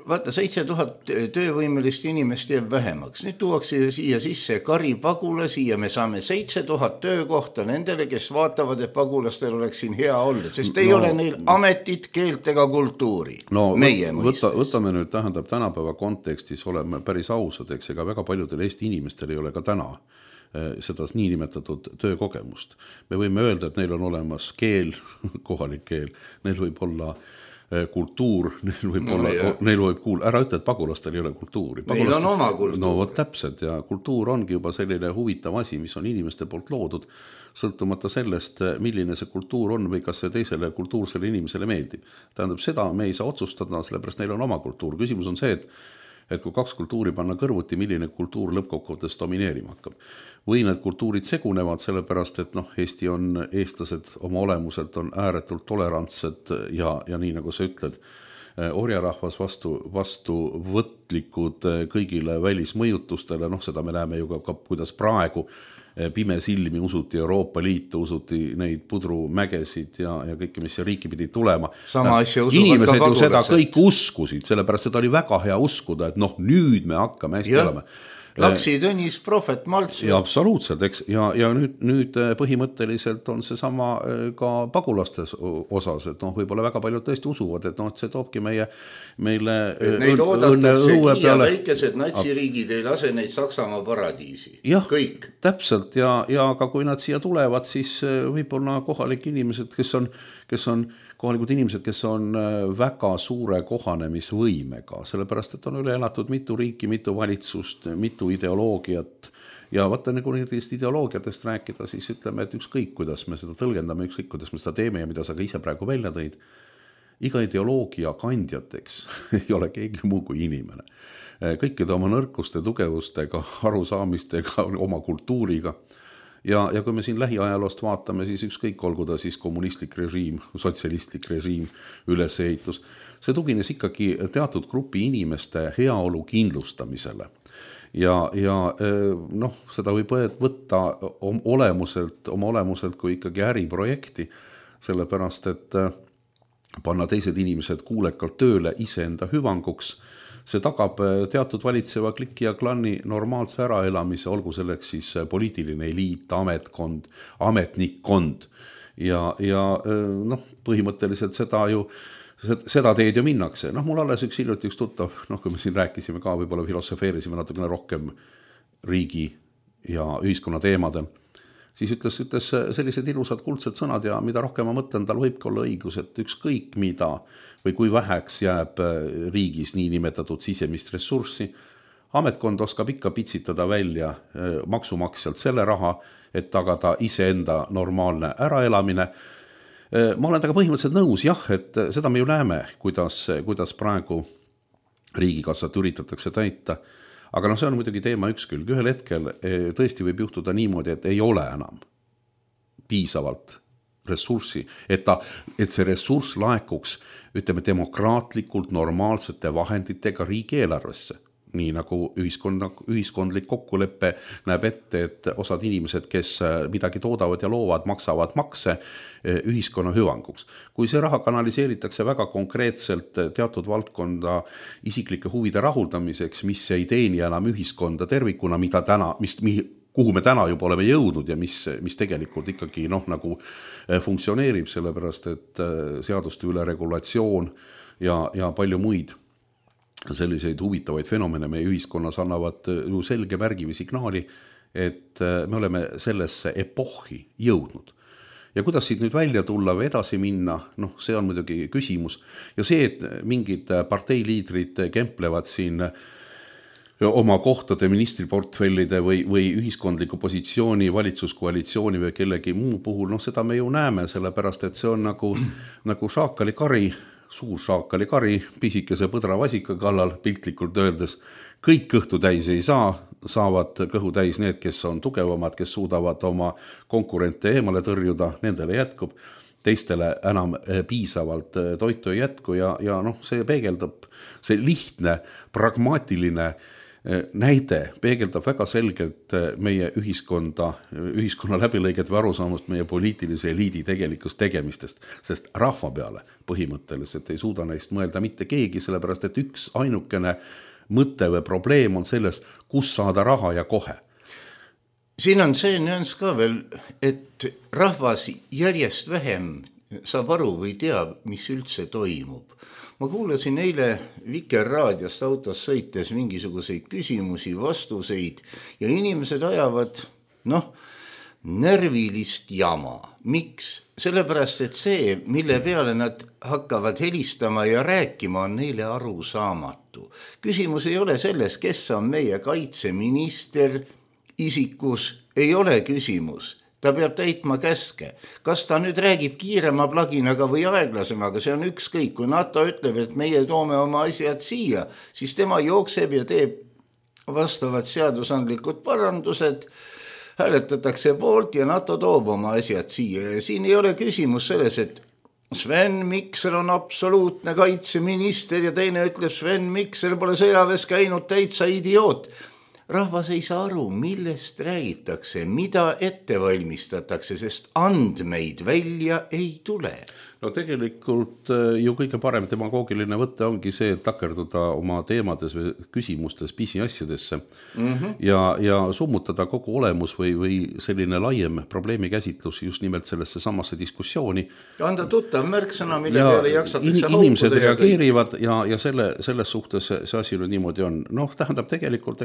Speaker 3: vaata 7000 töövõimelist inimest jääb vähemaks, nüüd tuuakse siia sisse karipagulasi ja me saame 7000 töökohta nendele, kes vaatavad, et pagulastel oleks siin hea olla, sest ei ole neil ametit, keelt ega kultuuri.
Speaker 4: No võtame nüüd, tähendab, tänapäeva kontekstis oleme päris ausad, eks, ega väga paljudel Eesti inimestel ei ole ka täna seda niinimetatud töökogemust. Me võime öelda, et neil on olemas keel, kohalik keel, neil võib olla kultuur, neil võib ära ütle, et pagulastel ei ole kultuuri.
Speaker 3: Neil on oma kultuur.
Speaker 4: No võt täpselt ja kultuur ongi juba selline huvitav asi, mis on inimeste poolt loodud, sõltumata sellest, milline see kultuur on või kas see teisele kultuursele inimesele meeldib. Tähendab, seda me ei saa otsustada, sellepärast neil on oma kultuur. Küsimus on see, et kui kaks kultuuri panna kõrvuti, milline kultuur lõppkokkuvõttes domineerima hakkab. Või need kultuurid segunevad, sellepärast, et Eesti eestlased oma olemuselt on ääretult tolerantsed ja nii nagu sa ütled, orjarahvas vastu võtlikud kõigile välismõjutustele, seda me näeme ju ka, kuidas praegu pimesilmi usuti Euroopa Liitu, usuti neid pudrumägesid ja kõike, mis riiki pidi tulema. Inimesed ju seda kõik uskusid, sellepärast seda oli väga hea uskuda, et nüüd me hakkame hästi olema.
Speaker 3: Laksi, Tõnis, Prohvet, Malts.
Speaker 4: Ja absoluutselt, eks. Ja nüüd põhimõtteliselt on see sama ka pagulastes osas, et võib-olla väga paljud tõesti usuvad, et see toobki meile
Speaker 3: neid oodatakse Kiia väikesed natsiriigid ei lase neid Saksamaa paradiisi.
Speaker 4: Jah,
Speaker 3: kõik.
Speaker 4: Täpselt ja ka kui nad siia tulevad, siis võib-olla kohalikud inimesed, kes on väga suure kohanemisvõimega, sellepärast, et on üle elatud mitu riiki, mitu valitsust, mitu ideoloogiat ja vaata nagu nendest ideoloogiatest rääkida, siis ütleme, et ükskõik, kuidas me seda tõlgendame, ükskõik, kuidas me seda teeme ja mida sa ka ise praegu välja tõid, iga ideoloogia kandjateks ei ole keegi muu kui inimene. Kõikide oma nõrkuste, tugevustega, arusaamistega, oma kultuuriga. Ja kui me siin lähiajaloost vaatame, siis ükskõik olgu ta siis kommunistlik režiim, sotsialistlik režiim, ülesehitus, see tugines ikkagi teatud grupi inimeste heaolu kindlustamisele. Ja seda võib võtta oma olemuselt kui ikkagi äriprojekti, sellepärast, et panna teised inimesed kuulekalt tööle iseenda hüvanguks, see tagab teatud valitseva kliki ja klanni normaalse äraelamise, olgu selleks siis poliitiline eliit, ametnikkond ja põhimõtteliselt seda teed ju minnakse. Mul alles üks hiljuti üks tuttav, kui me siin rääkisime ka, võib-olla filosofeerisime natukene rohkem riigi ja ühiskonna teemadel, siis ütles sellised ilusad kuldsed sõnad ja mida rohkem ma mõtlen, tal võibki olla õigus, et ükskõik mida või kui väheks jääb riigis nii nimetatud sisemist ressurssi, ametkond oskab ikka pitsitada välja maksumaksjalt selle raha, et tagada iseenda normaalne äraelamine. Ma olen taga põhimõtteliselt nõus, jah, et seda me ju näeme, kuidas praegu riigikassat üritatakse täita. Aga see on muidugi teema üks külg. Ühel hetkel tõesti võib juhtuda niimoodi, et ei ole enam piisavalt ressurssi, et see ressurss laekuks, ütleme, demokraatlikult normaalsete vahenditega riigieelarvesse. Nii nagu ühiskondlik kokkuleppe näeb ette, et osad inimesed, kes midagi toodavad ja loovad, maksavad makse ühiskonna hüvanguks. Kui see raha kanaliseeritakse väga konkreetselt teatud valdkonda isiklike huvide rahuldamiseks, mis ei teeni enam ühiskonda tervikuna, kuhu me täna juba oleme jõudnud ja mis tegelikult ikkagi nagu funktsioneerib, sellepärast et seaduste üle regulatsioon ja palju muid selliseid huvitavaid fenomene meie ühiskonnas annavad ju selge märgi või signaali, et me oleme sellesse epohhi jõudnud. Ja kuidas siit nüüd välja tulla või edasi minna, see on muidugi küsimus. Ja see, et mingid parteiliidrid kemplevad siin oma kohtade ministriportfellide või ühiskondliku positsiooni, valitsuskoalitsiooni või kellegi muu puhul, seda me ju näeme, sellepärast, et see on nagu šaakali kari, suur šaakali kari, pisikese põdravasika kallal piltlikult öeldes, kõik kõhtu täis ei saa, saavad kõhu täis need, kes on tugevamad, kes suudavad oma konkurente eemale tõrjuda, nendele jätkub, teistele enam piisavalt toitu ei jätku ja noh, see peegeldab, see lihtne, pragmaatiline näide peegeldab väga selgelt meie ühiskonna läbilõiget või arusaamust meie poliitilise eliidi tegelikust tegemistest, sest rahva peale põhimõtteliselt ei suuda neist mõelda mitte keegi, sellepärast et üks ainukene mõte või probleem on selles, kus saada raha ja kohe.
Speaker 3: Siin on see nüanss ka veel, et rahvas järjest vähem saab aru või teab, mis üldse toimub. Ma kuulasin eile Vikerraadiost autos sõites mingisuguseid küsimusi, vastuseid ja inimesed ajavad, närvilist jama. Miks? Sellepärast, et see, mille peale nad hakkavad helistama ja rääkima, on neile arusaamatu. Küsimus ei ole selles, kes on meie kaitseminister, isikus ei ole küsimus. Ta peab täitma käske. Kas ta nüüd räägib kiirema plaginaga või aeglasemaga, see on ükskõik. Kui NATO ütleb, et meie toome oma asjad siia, siis tema jookseb ja teeb vastavad seadusandlikud parandused, hääletatakse poolt ja NATO toob oma asjad siia. Ja siin ei ole küsimus selles, et Sven Mikser on absoluutne kaitseminister ja teine ütleb, Sven Mikser pole sõjaväes käinud, täitsa idioot. Rahvas ei saa aru, millest räägitakse, mida ette valmistatakse, sest andmeid välja ei tule.
Speaker 4: No tegelikult ju kõige parem demagoogiline võtte ongi see, et takerduda oma teemades või küsimustes pisiasjadesse ja summutada kogu olemus või selline laiem probleemikäsitlus just nimelt sellesse samasse diskussiooni.
Speaker 3: Ja anda tuttav märksõna, mille peale jaksatakse haukuda.
Speaker 4: Inimesed reageerivad ja selles suhtes see asi nüüd niimoodi on. Tähendab tegelikult,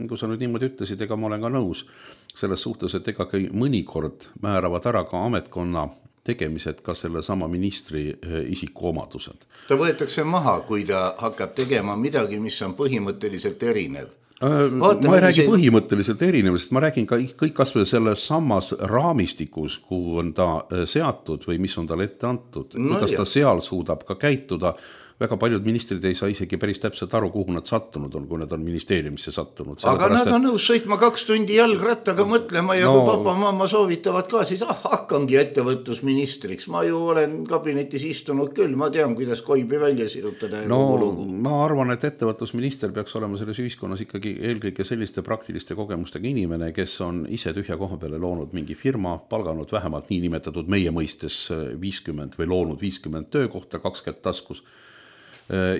Speaker 4: kui sa nüüd niimoodi ütlesid, ega ma olen ka nõus selles suhtes, et ega mõnikord määravad ära ka ametkonna tegemised ka selle sama ministri isiku omadused.
Speaker 3: Ta võetakse maha, kui ta hakkab tegema midagi, mis on põhimõtteliselt erinev.
Speaker 4: Ma ei räägi põhimõtteliselt erinev, sest ma räägin ka kõik kasvõi selles samas raamistikus, kuhu on ta seatud või mis on talle ette antud, kuidas ta seal suudab ka käituda. Väga paljud ministrid ei saa isegi päris täpselt aru, kuhu nad sattunud on, kui nad on ministeeriumisse sattunud.
Speaker 3: Aga nad on nõus sõitma 2 tundi jalgrattaga mõtlema ja kui papa mamma soovitavad ka, siis hakkangi ettevõtlusministriks. Ma ju olen kabinetis istunud küll, ma tean, kuidas koibi välja sirutada.
Speaker 4: Ma arvan, et ettevõtlusminister peaks olema selles ühiskonnas ikkagi eelkõige selliste praktiliste kogemustega inimene, kes on ise tühja koha peale loonud mingi firma, palganud vähemalt nii nimetatud meie mõistes 50 või loonud 50 töökohta, 20 taskus.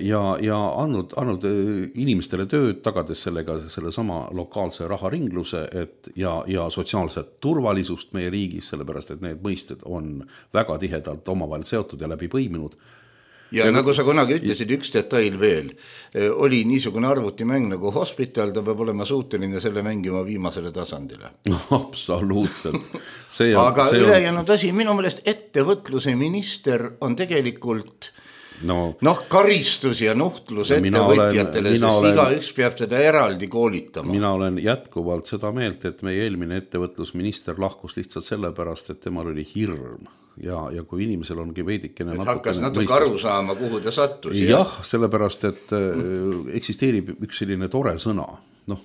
Speaker 4: Ja andnud inimestele tööd, tagades sellega selle sama lokaalse raharingluse ja sotsiaalset turvalisust meie riigis, sellepärast et need mõisted on väga tihedalt omavahel seotud ja läbi põiminud.
Speaker 3: Ja nagu sa kunagi ütlesid, üks detail veel, oli niisugune arvutimäng nagu Hospital, ta peab olema suuteline selle mängima viimasele tasandile.
Speaker 4: Absoluutselt.
Speaker 3: Aga ülejäänud asi, minu meelest ettevõtluse minister on tegelikult karistus ja nuhtlus ettevõtjatele, sest igaüks peab seda eraldi koolitama.
Speaker 4: Mina olen jätkuvalt seda meelt, et meie eelmine ettevõtlusminister lahkus lihtsalt sellepärast, et temal oli hirm. Ja kui inimesel ongi veidikene
Speaker 3: hakkas natuke aru saama, kuhu ta sattus.
Speaker 4: Jah, sellepärast, et eksisteerib üks selline tore sõna,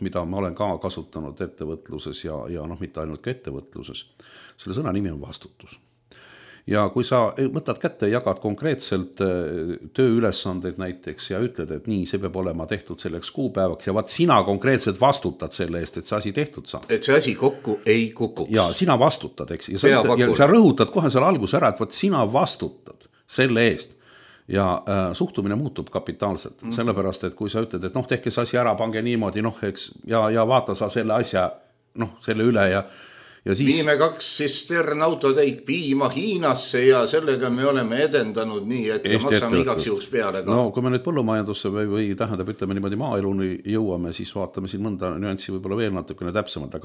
Speaker 4: mida ma olen ka kasutanud ettevõtluses ja mitte ainult ka ettevõtluses. Selle sõna nimi on vastutus. Ja kui sa võtad kätte ja jagad konkreetselt tööülesandeid näiteks ja ütled, et nii, see peab olema tehtud selleks kuupäevaks ja sina konkreetselt vastutad selle eest, et see asi tehtud saab.
Speaker 3: Et see asi kokku ei kukuks.
Speaker 4: Ja sina vastutad, eks? Ja sa rõhutad kohe selle alguse ära, et sina vastutad selle eest. Ja suhtumine muutub kapitaalselt, sellepärast, et kui sa ütled, et tehke see asi ära, pange niimoodi, ja vaata sa selle asja, selle üle ja siis... Viime 2 tsistern autotäit piima Hiinasse ja sellega me oleme edendanud nii, et maksame igaks juhuks peale ka. Kui me nüüd põllumajandusse või tähendab, ütleme niimoodi maaeluni jõuame, siis vaatame siin mõnda nüanssi võib-olla veel natukene täpsemalt,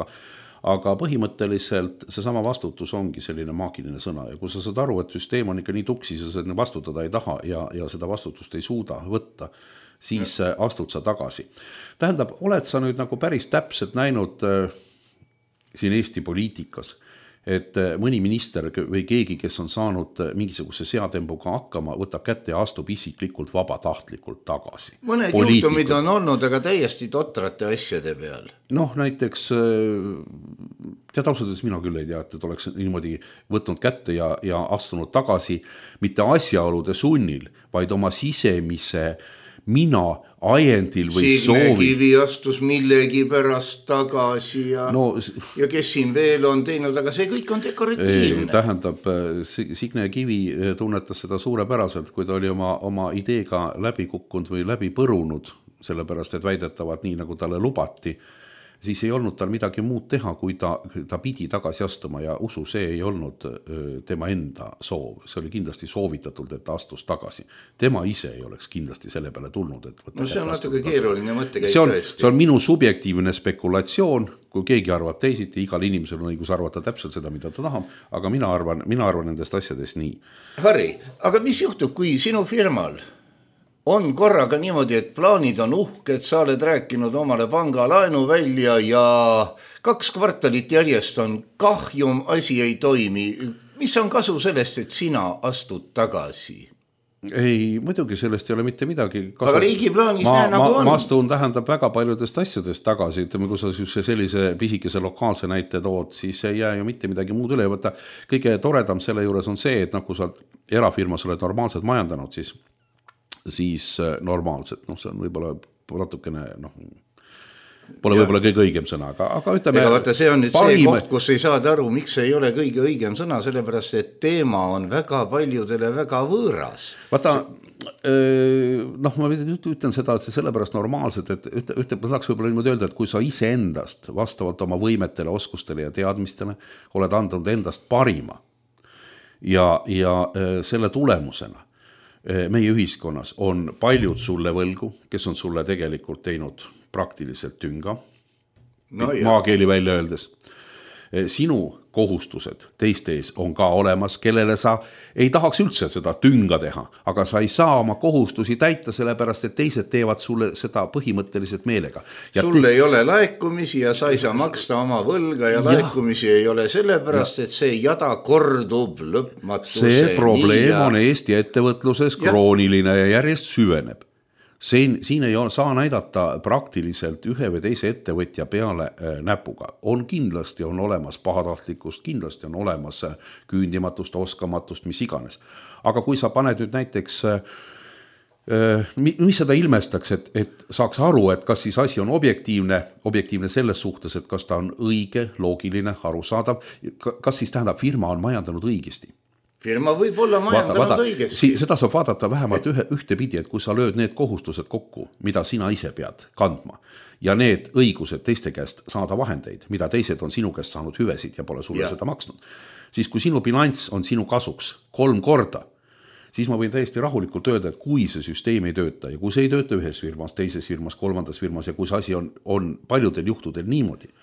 Speaker 4: aga põhimõtteliselt see sama vastutus ongi selline maagiline sõna ja kui sa saad aru, et süsteem on ikka nii tuksis ja sa vastutada ei taha ja seda vastutust ei suuda võtta, siis astud sa tagasi. Tähendab, oled sa nüüd nagu päris täpselt näinud siin Eesti poliitikas, et mõni minister või keegi, kes on saanud mingisuguse seadembuga hakkama, võtab kätte ja astub isiklikult vabatahtlikult tagasi.
Speaker 3: Mõned juhtumid on olnud, aga täiesti totrate asjade peal.
Speaker 4: Noh, näiteks tead ausalt, mina küll ei tea, et oleks niimoodi võtnud kätte ja astunud tagasi mitte asjaolude sunnil, vaid oma sisemise mina ajendil või
Speaker 3: Signe
Speaker 4: soovi.
Speaker 3: Kivi astus millegi pärast tagasi ja kes siin veel on teinud, aga see kõik on dekoratiivne.
Speaker 4: Tähendab, Signe Kivi tunnetas seda suurepäraselt, kui ta oli oma ideega läbi kukkunud või läbi põrunud, sellepärast, et väidetavad nii, nagu talle lubati, siis ei olnud tal midagi muud teha, kui ta pidi tagasi astuma ja usu, see ei olnud tema enda soov. See oli kindlasti soovitatult, et ta astus tagasi. Tema ise ei oleks kindlasti selle peale tulnud.
Speaker 3: No see on natuke keeruline mõttekäik
Speaker 4: tõesti. See on minu subjektiivne spekulatsioon, kui keegi arvab teisiti, igal inimesel on õigus arvata täpselt seda, mida ta tahab, aga mina arvan nendest asjadest nii.
Speaker 3: Harri, aga mis juhtub, kui sinu firmal on korraga niimoodi, et plaanid on uhked, sa oled rääkinud omale pangalaenu välja ja 2 kvartalit järjest on kahjum, asi ei toimi. Mis on kasu sellest, et sina astud tagasi?
Speaker 4: Ei, muidugi sellest ei ole mitte midagi.
Speaker 3: Aga riigi plaanis nagu on.
Speaker 4: Ma astun tähendab väga paljudest asjadest tagasi. Ütleme, kui sa sellise pisikese lokaalse näite tood, siis ei jää ju mitte midagi muud üle. Võtta. Kõige toredam selle juures on see, et kui sa erafirmas oled normaalselt majandanud, siis normaalselt, see on võib-olla natukene, pole võib-olla kõige õigem sõna, aga ütleme.
Speaker 3: Ega vaata, see on nüüd see koht, kus ei saada aru, miks ei ole kõige õigem sõna, sellepärast, et teema on väga paljudele väga võõras.
Speaker 4: Vaata, ma ütlen seda, et see sellepärast normaalselt, et ma tahaks võib-olla niimoodi öelda, et kui sa ise endast vastavalt oma võimetele, oskustele ja teadmistele oled andnud endast parima ja selle tulemusena meie ühiskonnas on paljud sulle võlgu, kes on sulle tegelikult teinud praktiliselt tünga, maakeeli välja öeldes. Sinu kohustused teiste ees on ka olemas, kellele sa ei tahaks üldse seda tünga teha, aga sa ei saa oma kohustusi täita, sellepärast, et teised teevad sulle seda põhimõtteliselt meelega.
Speaker 3: Sul ei ole laekumisi ja sa ei saa maksta oma võlga ja laekumisi ei ole sellepärast, et see jada kordub lõpmatuse.
Speaker 4: See probleem on Eesti ettevõtluses krooniline ja järjest süveneb. Siin ei saa näidata praktiliselt ühe või teise ettevõtja peale näpuga. Kindlasti on olemas pahatahtlikkust, kindlasti on olemas küündimatust, oskamatust, mis iganes. Aga kui sa paned nüüd näiteks, mis seda ilmestaks, et saaks aru, et kas siis asi on objektiivne selles suhtes, et kas ta on õige, loogiline, arusaadav, kas siis tähendab firma on majandanud õigesti.
Speaker 3: Firma võib olla majandanud õigesti.
Speaker 4: Seda saab vaadata vähemalt ühte pidi, et kui sa lööd need kohustused kokku, mida sina ise pead kandma ja need õigused teiste käest saada vahendeid, mida teised on sinu käest saanud hüvesid ja pole sulle seda maksnud, siis kui sinu bilanss on sinu kasuks 3 korda, siis ma võin täiesti rahulikult öelda, et kui see süsteem ei tööta ja kui see ei tööta ühes firmas, teises firmas, 3. firmas ja kui see asi on paljudel juhtudel niimoodi,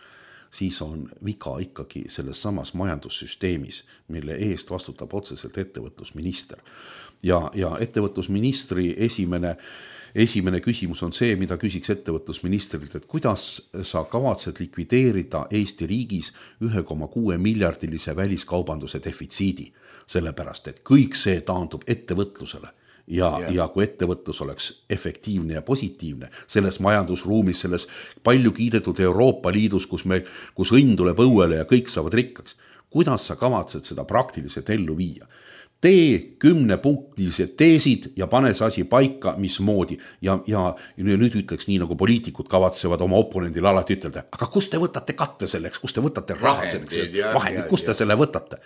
Speaker 4: siis on viga ikkagi selles samas majandussüsteemis, mille eest vastutab otseselt ettevõtlusminister. Ja ettevõtlusministri esimene küsimus on see, mida küsiks ettevõtlusministrilt, et kuidas sa kavatsed likvideerida Eesti riigis 1,6 miljardilise väliskaubanduse defitsiidi, sellepärast, et kõik see taandub ettevõtlusele. Ja kui ettevõtlus oleks efektiivne ja positiivne selles majandusruumis, selles palju kiidetud Euroopa Liidus, kus õnn tuleb õuele ja kõik saavad rikkaks, kuidas sa kavatsed seda praktiliselt ellu viia? Tee 10-punktilised teesid ja pane see asi paika, mismoodi. Ja nüüd ütleks nii, nagu poliitikud kavatsevad oma oponendile alati ütelda, aga kust te võtate katte selleks, kust te võtate raha selleks, vahendid, kust te selle võtate?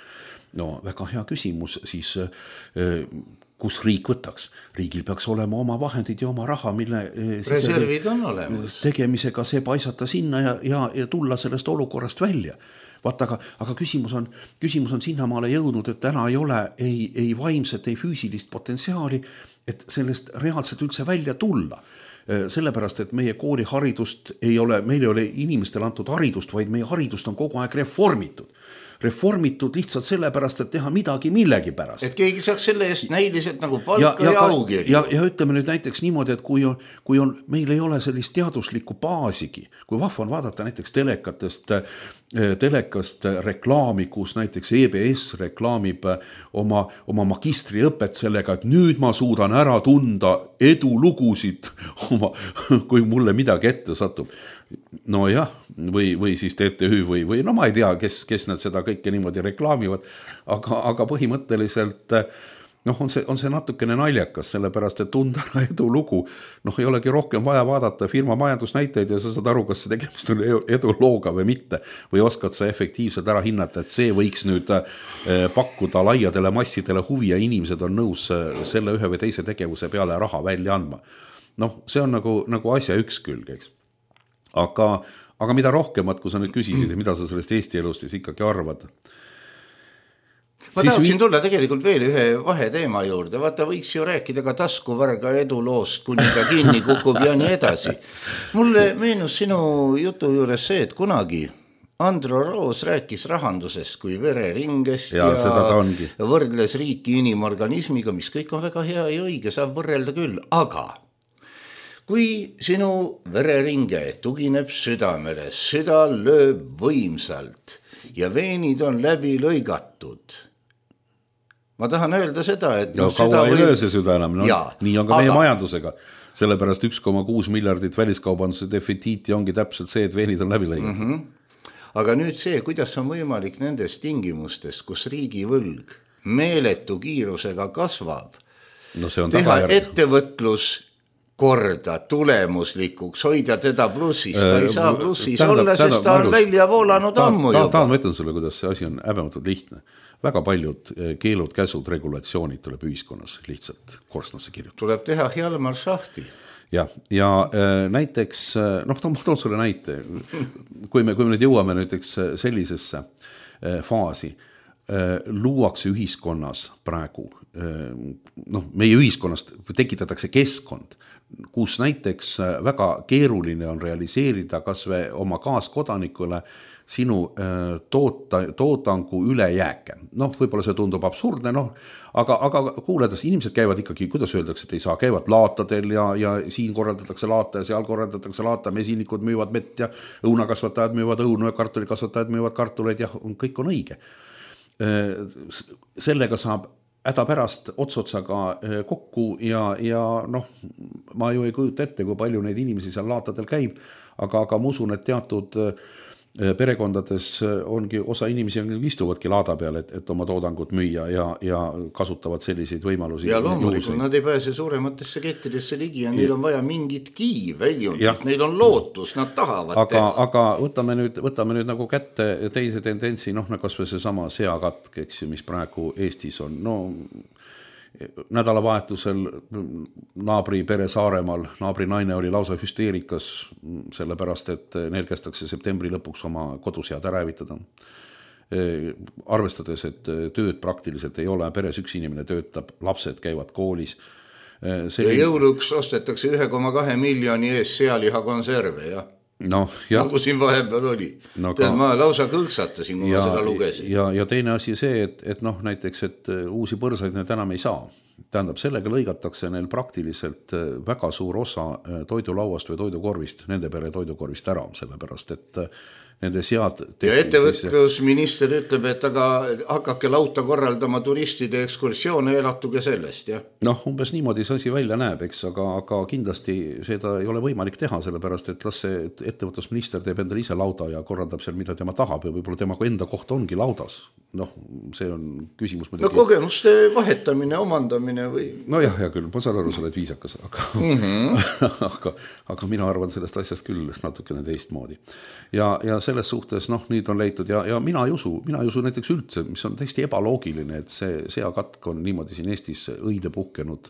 Speaker 4: No väga hea küsimus, siis kus riik võtaks? Riigil peaks olema oma vahendid ja oma raha, mille
Speaker 3: reservid on olemas.
Speaker 4: Tegemisega see paisata sinna ja tulla sellest olukorrast välja. Vaata, aga küsimus on sinnamaale jõudnud, et täna ei ole ei vaimset, ei füüsilist potentsiaali, et sellest reaalselt üldse välja tulla. Sellepärast, et meie kooliharidust meil ei ole inimestele antud haridust, vaid meie haridust on kogu aeg reformitud. reformitud lihtsalt sellepärast, et teha midagi millegi pärast.
Speaker 3: Et keegi saaks selle eest näiliselt nagu palka ja augi.
Speaker 4: Ja ütleme nüüd näiteks niimoodi, et kui on, meil ei ole sellist teaduslikku baasigi, kui vahva on vaadata näiteks telekast reklaami, kus näiteks EBS reklaamib oma magistriõpet sellega, et nüüd ma suudan ära tunda edulugusid, kui mulle midagi ette satub. No jah, või siis TTÜ või no ma ei tea, kes nad seda kõike niimoodi reklaamivad, aga põhimõtteliselt on see natukene naljakas, sellepärast, et tunda edulugu, ei olegi rohkem vaja vaadata firma majandusnäiteid ja sa saad aru, kas see tegemist on edulooga või mitte, või oskad sa efektiivselt ära hinnata, et see võiks nüüd pakkuda laiadele massidele huvi ja inimesed on nõus selle ühe või teise tegevuse peale raha välja andma. See on nagu asja üks külg, eks. Aga mida rohkemat, kui sa nüüd küsisid, mida sa sellest Eesti elust siis ikkagi arvad?
Speaker 3: Ma tahaksin tulla tegelikult veel ühe vaheteema juurde. Vaata, võiks ju rääkida ka taskuvarga eduloost, kuni ta kinni kukub ja nii edasi. Mulle meenus sinu jutu juures see, et kunagi Andro Roos rääkis rahandusest kui vereringest ja võrdles riiki inimorganismiga, mis kõik on väga hea ja õige, saab võrrelda küll. Aga kui sinu vereringe tugineb südamele, süda lööb võimsalt ja veenid on läbi lõigatud, ma tahan öelda seda, et
Speaker 4: kaua ei löö see süda enam, nii on ka meie majandusega. Sellepärast 1,6 miljardit väliskaubanduse defitsiiti ongi täpselt see, et veenid on läbi lõigatud.
Speaker 3: Aga nüüd see, kuidas on võimalik nendes tingimustes, kus riigi võlg meeletu kiirusega kasvab, teha ettevõtlus korda tulemuslikuks, hoida teda plussis, ta ei saa plussis olla, sest ta on välja voolanud ammu juba.
Speaker 4: Ma ütlen sulle, kuidas see asi on häbematult lihtne. Väga paljud keelud, käsud, regulatsioonid tuleb ühiskonnas lihtsalt korstnasse kirjutada.
Speaker 3: Tuleb teha Hjalmar Šahti.
Speaker 4: Ja näiteks, ma toon sulle näite, kui me nüüd jõuame näiteks sellisesse faasi, luuakse ühiskonnas praegu, meie ühiskonnast tekitatakse keskkond, kus näiteks väga keeruline on realiseerida kas või oma kaaskodanikule sinu toodangu ülejääke. Võib-olla see tundub absurdne, aga kuuledes inimesed käivad ikkagi, kuidas öeldakse, et ei saa, käivad laatadel ja siin korraldatakse laata ja seal korraldatakse laata, mesinikud müüvad mett ja õunakasvatajad müüvad õunu ja kartulikasvatajad müüvad kartuleid ja kõik on õige. Sellega saab häda pärast otsotsaga kokku ja ma ju ei kujuta ette, kui palju neid inimesi seal laatadel käib, aga ma usun, et teatud perekondades ongi osa inimesi istuvadki laada peal, et oma toodangut müüa ja kasutavad selliseid võimalusi.
Speaker 3: Ja loomulikult nad ei pääse suurematesse kettidesse ligi ja neil on vaja mingit väljundit, neil on lootus, nad tahavad teha.
Speaker 4: Aga võtame nüüd nagu kätte teise tendentsi, kas või see sama seakatk, eks ju, mis praegu Eestis on. Nädalavahetusel naabri pere Saaremaal, naabri naine oli lausa hüsteerikas, sellepärast, et neil kästakse septembri lõpuks oma kodusead ära hävitada. Arvestades, et tööd praktiliselt ei ole, peres üks inimene töötab, lapsed käivad koolis.
Speaker 3: Ja jõuluks ostetakse 1,2 miljoni ees sealiha konserve, jah? Nagu siin vahepeal oli. Ma lausa kõõksatasin, kui ma seda lugesin.
Speaker 4: Ja teine asi see, et näiteks, et uusi põrsaid need enam ei saa. Tähendab, sellega lõigatakse neil praktiliselt väga suur osa toidulauast või toidukorvist, nende pere toidukorvist ära, sellepärast, et nende sead...
Speaker 3: Ja ettevõtlusminister ütleb, et aga hakake lauta korraldama turistide ekskursioone ja elatuge sellest, jah?
Speaker 4: Umbes niimoodi see asi välja näeb, eks, aga kindlasti seda ei ole võimalik teha, sellepärast, et las see ettevõtlusminister teeb endale ise lauda ja korraldab seal, mida tema tahab ja võib-olla tema enda koht ongi laudas. See on küsimus muidugi...
Speaker 3: kogemuste vahetamine, omandamine või...
Speaker 4: Jah, küll, ma saan aru, sa oled viisakas, aga mina arvan sellest asjast küll natukene teistmoodi. Ja selles suhtes, nüüd on leitud ja mina ei usu näiteks üldse, mis on täiesti ebaloogiline, et see seakatk on niimoodi siin Eestis õide puhkenud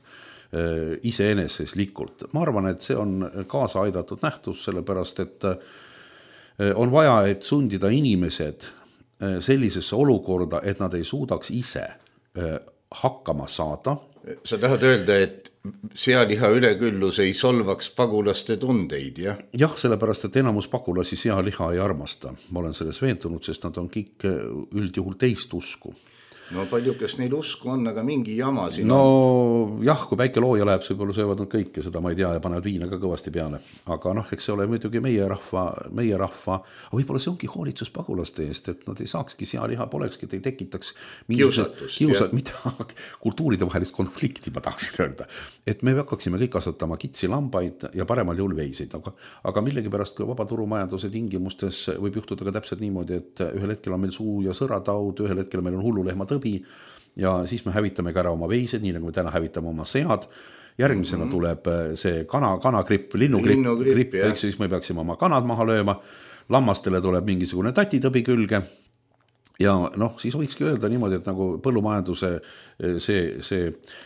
Speaker 4: iseeneseslikult. Ma arvan, et see on kaasa aidatud nähtus, sellepärast, et on vaja, et sundida inimesed sellisesse olukorda, et nad ei suudaks ise hakkama saada.
Speaker 3: Sa tahad öelda, et sealiha üleküllus ei solvaks pagulaste tundeid, jah?
Speaker 4: Jah, sellepärast, et enamus pagulasi sealiha ei armasta. Ma olen selles veendunud, sest nad on kõik üldjuhul teist usku.
Speaker 3: No palju, kes neil usku on, aga mingi jama siin
Speaker 4: no jah, kui väike looja läheb, võib-olla söövad nad kõike, seda ma ei tea ja panevad viina ka kõvasti peale. Aga eks see ole muidugi meie rahva, aga võib-olla see ongi hoolitsus pagulaste eest, et nad ei saakski sealiha, polekski, et ei tekitaks
Speaker 3: kiusatust,
Speaker 4: mida kultuuride vahelist konflikti, ma tahaksin öelda. Et me hakkaksime kõik kasvatama kitsi, lambaid ja paremal juhul veiseid, aga millegipärast, kui vabaturumajanduse tingimustes võib juhtuda ka täpselt niimoodi, et ühel hetkel on meil suu- ja sõrataud, ühel hetkel meil on hullulehma ja siis me hävitame ka ära oma veised, nii nagu me täna hävitame oma sead. Järgmisena tuleb see kanagripp, linnugripp, eks siis me peaksime oma kanad maha lööma. Lammastele tuleb mingisugune tatitõbi külge. Ja siis võikski öelda niimoodi, et nagu põllumajanduse see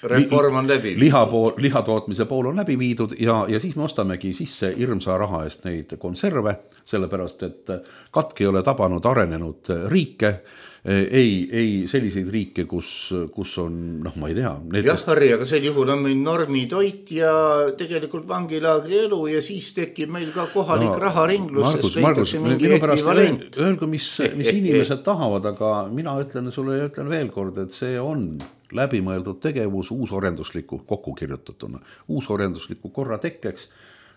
Speaker 3: reform on läbi.
Speaker 4: Lihatootmise pool on läbi viidud ja siis me ostamegi sisse hirmsa raha eest neid konserve, sellepärast, et katk ei ole tabanud arenenud riike, ei selliseid riike, kus on, ma ei tea.
Speaker 3: Jah, Harri, aga sel juhul on meil normitoit ja tegelikult vangilaagri elu ja siis tekib meil ka kohalik raharinglus, sest leitakse mingi ekvivalent.
Speaker 4: Öelge, mis inimesed tahavad, aga mina ütlen sulle ja ütlen veel kord, et see on läbimõeldud tegevus uusorjendusliku kokku kirjutatuna. Uusorjendusliku korra tekkeks,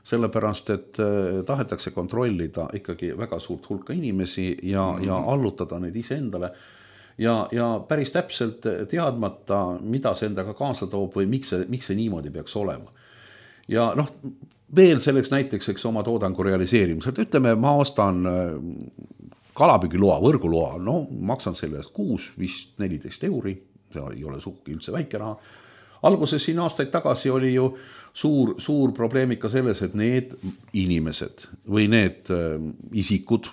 Speaker 4: sellepärast, et tahetakse kontrollida ikkagi väga suurt hulka inimesi ja allutada neid iseendale ja päris täpselt teadmata, mida see endaga kaasa toob või miks see niimoodi peaks olema. Ja veel selleks näiteks oma toodangu realiseerimisel, ütleme, ma ostan kalapüügiloa, võrguloa, maksan selle eest kuus, vist 14 €, see ei ole sugugi üldse väike raha. Alguses siin aastaid tagasi oli ju suur probleem ikka selles, et need inimesed või need isikud,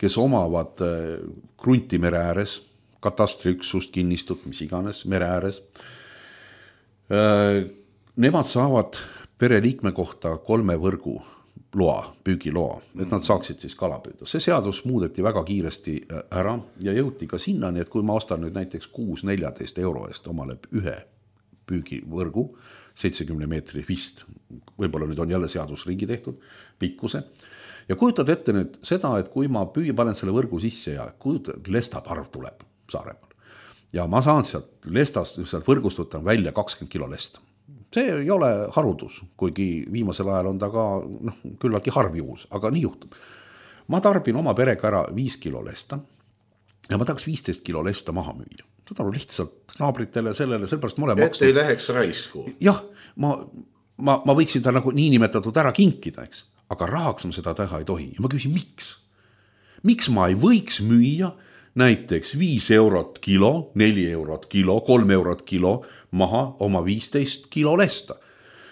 Speaker 4: kes omavad krunti mere ääres, katastriüksust, kinnistut, mis iganes, mere ääres, nemad saavad pereliikme kohta 3 võrgu loa, püügiloa, et nad saaksid siis kala püüda. See seadus muudeti väga kiiresti ära ja jõuti ka sinnani, et kui ma ostan nüüd näiteks 6-14 € eest omale ühe püügivõrgu, 70 meetri vist, võib-olla nüüd on jälle seadus ringi tehtud, pikkuse. Ja kujutad ette nüüd seda, et kui ma panen selle võrgu sisse ja lestaparv tuleb Saaremaal ja ma saan sealt võrgust võtan välja 20 kilo lesta. See ei ole haruldus, kuigi viimasel ajal on ta ka küllaltki harv juhus, aga nii juhtub. Ma tarbin oma perega ära 5 kilo lesta ja ma tahaks 15 kilo lesta maha müüa. Seda on lihtsalt naabritele sellepärast ma olen
Speaker 3: maksnud. Et ei läheks raisku.
Speaker 4: Jah, ma võiksin ta nagu niinimetatud ära kinkida, eks, aga rahaks ma seda teha ei tohi. Ja ma küsin, miks? Miks ma ei võiks müüa näiteks 5 € kilo, 4 € kilo, 3 € kilo maha oma 15 kilo lesta?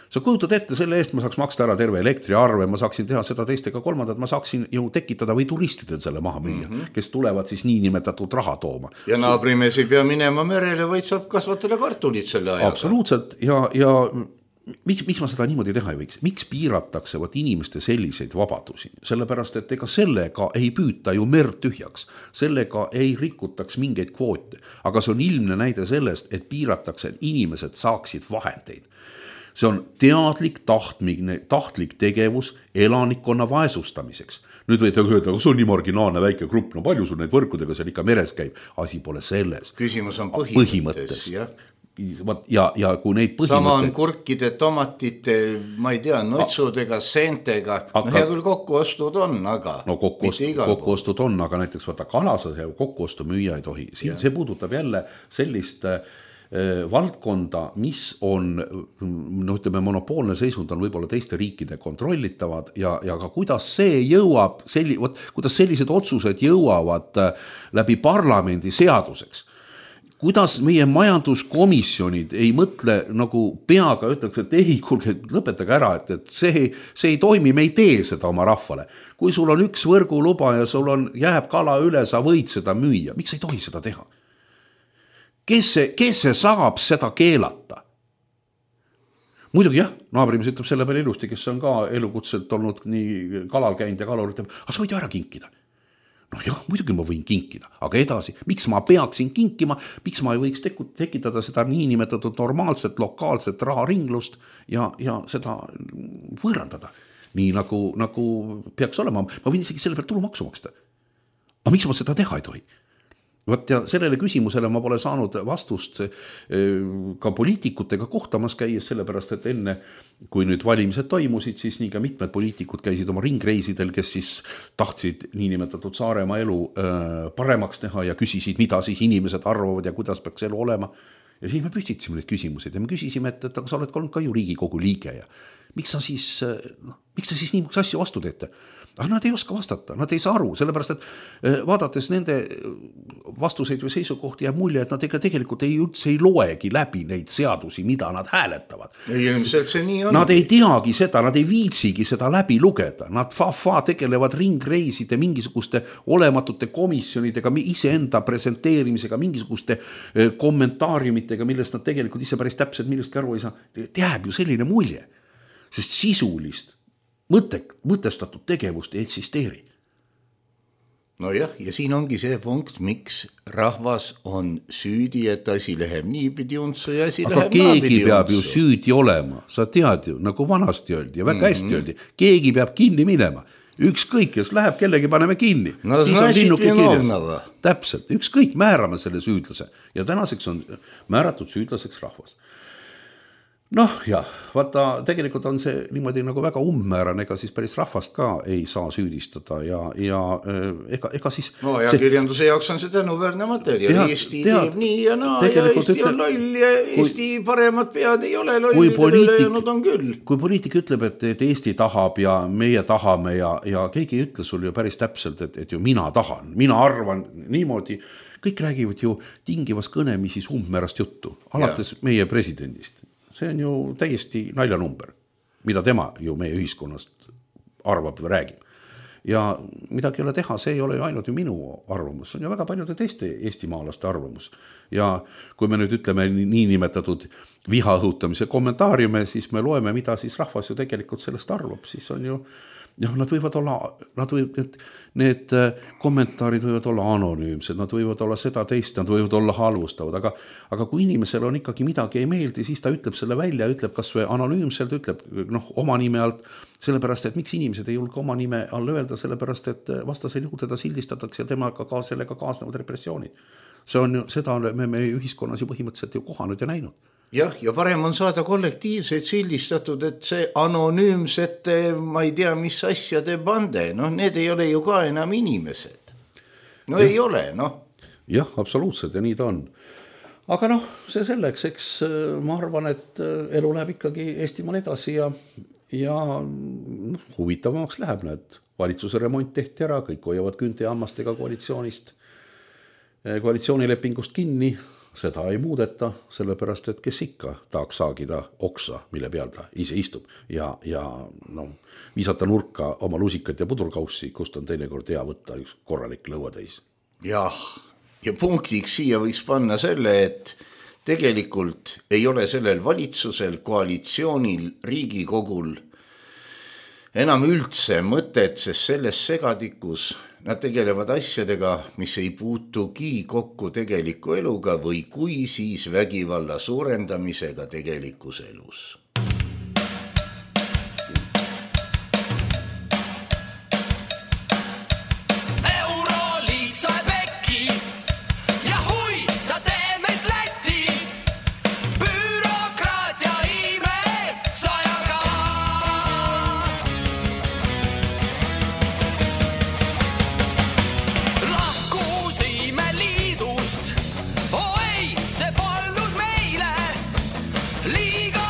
Speaker 4: Sa kujutad ette, selle eest ma saaks maksta ära terve elektriarve, ma saaksin teha seda teistega kolmandat, ma saaksin ju tekitada või turistidel selle maha müüa, kes tulevad siis niinimetatud raha tooma.
Speaker 3: Ja naabrimees ei pea minema merele, vaid saab kasvatada kartulit selle ajaga.
Speaker 4: Absoluutselt ja miks ma seda niimoodi teha ei võiks? Miks piiratakse inimeste selliseid vabadusi? Sellepärast, et ega sellega ei püüta ju merd tühjaks, sellega ei rikutaks mingeid kvoote, aga see on ilmne näide sellest, et piiratakse, et inimesed saaksid vahendeid. See on teadlik, tahtlik tegevus elanikkonna vaesustamiseks. Nüüd võite öelda, see on nii marginaalne väike grupp, palju sul neid võrkudega seal ikka meres käib. Asi pole selles.
Speaker 3: Küsimus on põhimõttes.
Speaker 4: Ja kui neid põhimõtteid...
Speaker 3: Sama on kurkide, tomatite, ma ei tea, notsudega, seentega. Hea küll kokkuostud on, aga
Speaker 4: kokkuostud on, aga näiteks kalasa kokkuostu müüa ei tohi. See puudutab jälle sellist... valdkonda, mis on, ütleme, monopoolne seisund on võib-olla teiste riikide kontrollitavad ja ka kuidas see jõuab, kuidas sellised otsused jõuavad läbi parlamendi seaduseks. Kuidas meie majanduskomisjonid ei mõtle nagu peaga, ütleks, et ei, kuulge, lõpetage ära, et see ei toimi, me ei tee seda oma rahvale. Kui sul on üks võrguluba ja sul jääb kala üle, sa võid seda müüa, miks ei tohi seda teha? Kes see saab seda keelata? Muidugi jah, naabrimees ütleb selle peale ilusti, kes on ka elukutselt olnud nii kalal käinud ja kalur ütleb, aga sa võid ju ära kinkida. noh jah, muidugi ma võin kinkida, aga edasi, miks ma peaksin kinkima, miks ma ei võiks tekitada seda niinimetatud normaalset lokaalset raharinglust ja seda võõrandada, nii nagu peaks olema. Ma võin isegi selle pealt tulumaksu maksta. Aga miks ma seda teha ei tohi? Võt ja sellele küsimusele ma pole saanud vastust ka poliitikutega kohtamas käies, sellepärast et enne, kui nüüd valimised toimusid, siis nii ka mitmed poliitikud käisid oma ringreisidel, kes siis tahtsid niinimetatud Saaremaa elu paremaks teha ja küsisid, mida siis inimesed arvavad ja kuidas peaks elu olema. Ja siis me püstitasime neid küsimusi ja me küsisime, et aga sa oled olnud ka ju Riigikogu liige ja miks sa siis niimoodi asju vastu teete? Aga nad ei oska vastata, nad ei saa aru, sellepärast, et vaadates nende vastuseid või seisukohti jääb mulje, et nad tegelikult üldse ei loegi läbi neid seadusi, mida nad hääletavad. Nad ei teagi seda, nad ei viitsigi seda läbi lugeda, nad tegelevad ringreiside mingisuguste olematute komisjonidega, iseenda presenteerimisega, mingisuguste kommentaariumitega, millest nad tegelikult ise päris täpselt millestki aru ei saa. Jääb ju selline mulje, sest sisulist mõtestatud tegevust ei eksisteeri.
Speaker 3: No jah, ja siin ongi see punkt, miks rahvas on süüdi, et asi läheb niipidi untsu ja asi
Speaker 4: aga
Speaker 3: läheb naapidi untsu.
Speaker 4: Aga keegi peab ju süüdi olema, sa tead ju, nagu vanasti öeldi ja väga hästi öeldi, keegi peab kinni minema. Ükskõik, kes läheb, kellegi paneme kinni.
Speaker 3: No znašit vinovnava.
Speaker 4: Täpselt, ükskõik, määrame selle süüdlase ja tänaseks on määratud süüdlaseks rahvas. Noh jah, vaata, tegelikult on see niimoodi nagu väga umbmäärane, ega siis päris rahvast ka ei saa süüdistada ja ega siis...
Speaker 3: No ja kirjanduse jaoks on see tänuväärne materjal. Eesti teeb nii ja naa ja Eesti on loll ja Eesti paremad pead ei ole lollidel ülejäänud on küll.
Speaker 4: Kui poliitik ütleb, et Eesti tahab ja meie tahame ja keegi ei ütle sul ju päris täpselt, et ju mina tahan, mina arvan niimoodi, kõik räägivad ju tingivas kõnemisis umbmäärast juttu, alates meie presidendist. See on ju täiesti naljanumber, mida tema ju meie ühiskonnast arvab või räägib. Ja midagi ei ole teha, see ei ole ju ainult ju minu arvamus, see on ju väga paljude teiste eestimaalaste arvamus. Ja kui me nüüd ütleme niinimetatud viha õhutamise kommentaariume, siis me loeme, mida siis rahvas ju tegelikult sellest arvab, siis on ju nad võivad olla, need kommentaarid võivad olla anonüümsed, nad võivad olla seda teist, nad võivad olla halvustavad, aga kui inimesel on ikkagi midagi ei meeldi, siis ta ütleb selle välja, ütleb kas või anonüümselt, ütleb oma nime alt, sellepärast, et miks inimesed ei julge oma nime all öelda, sellepärast, et vastasel juhul teda sildistatakse ja temaga ka sellega kaasnevad repressioonid. See on ju, seda me ühiskonnas ju põhimõtteliselt ju kohanud ja näinud.
Speaker 3: Jah, ja parem on saada kollektiivseid sildistatud, et see anonüümsete, ma ei tea, mis asjade bande, need ei ole ju ka enam inimesed. Ei ole,
Speaker 4: Jah, absoluutselt ja nii ta on. Aga see selleks, eks ma arvan, et elu läheb ikkagi Eestimaal edasi ja huvitavamaks läheb need. Valitsuse remont tehti ära, kõik hoiavad künte ja hammastega koalitsioonilepingust kinni, seda ei muudeta, sellepärast, et kes ikka tahaks saagida oksa, mille peal ta ise istub ja viisata nurka oma lusikat ja pudurkaussi, kust on teinekord hea võtta üks korralik lõuatäis.
Speaker 3: Jah, ja punktiks siia võiks panna selle, et tegelikult ei ole sellel valitsusel, koalitsioonil, Riigikogul enam üldse mõtet, sest selles segadikus nad tegelevad asjadega, mis ei puutugi kokku tegeliku eluga või kui siis vägivalla suurendamisega tegelikus elus.
Speaker 5: Liiga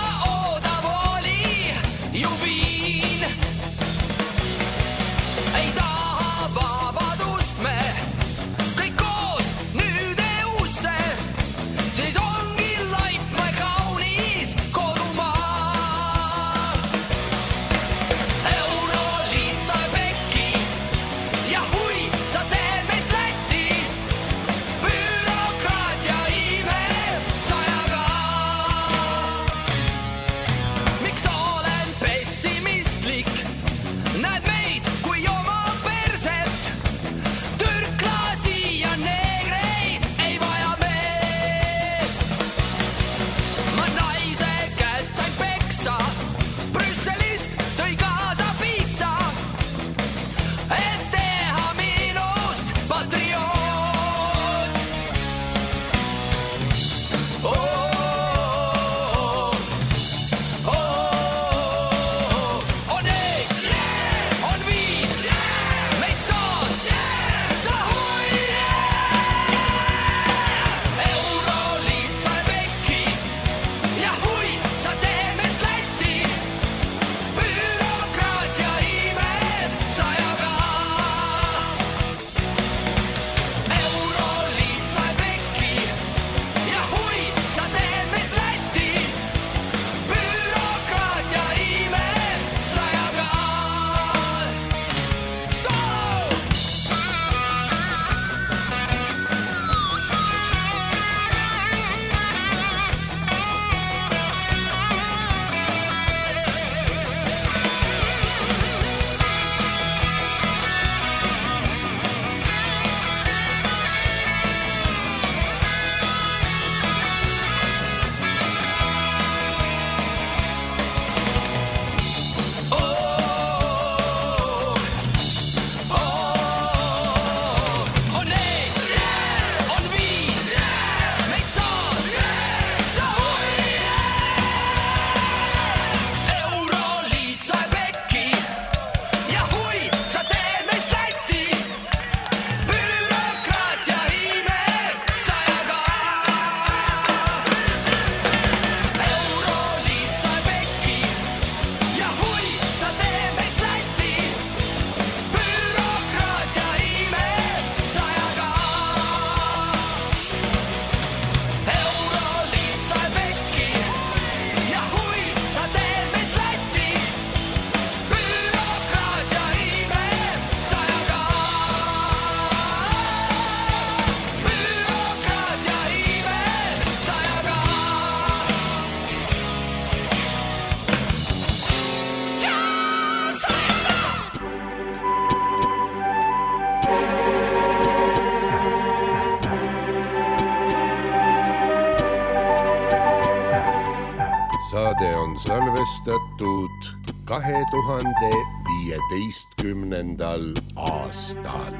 Speaker 5: salvestatud 2015. aastal.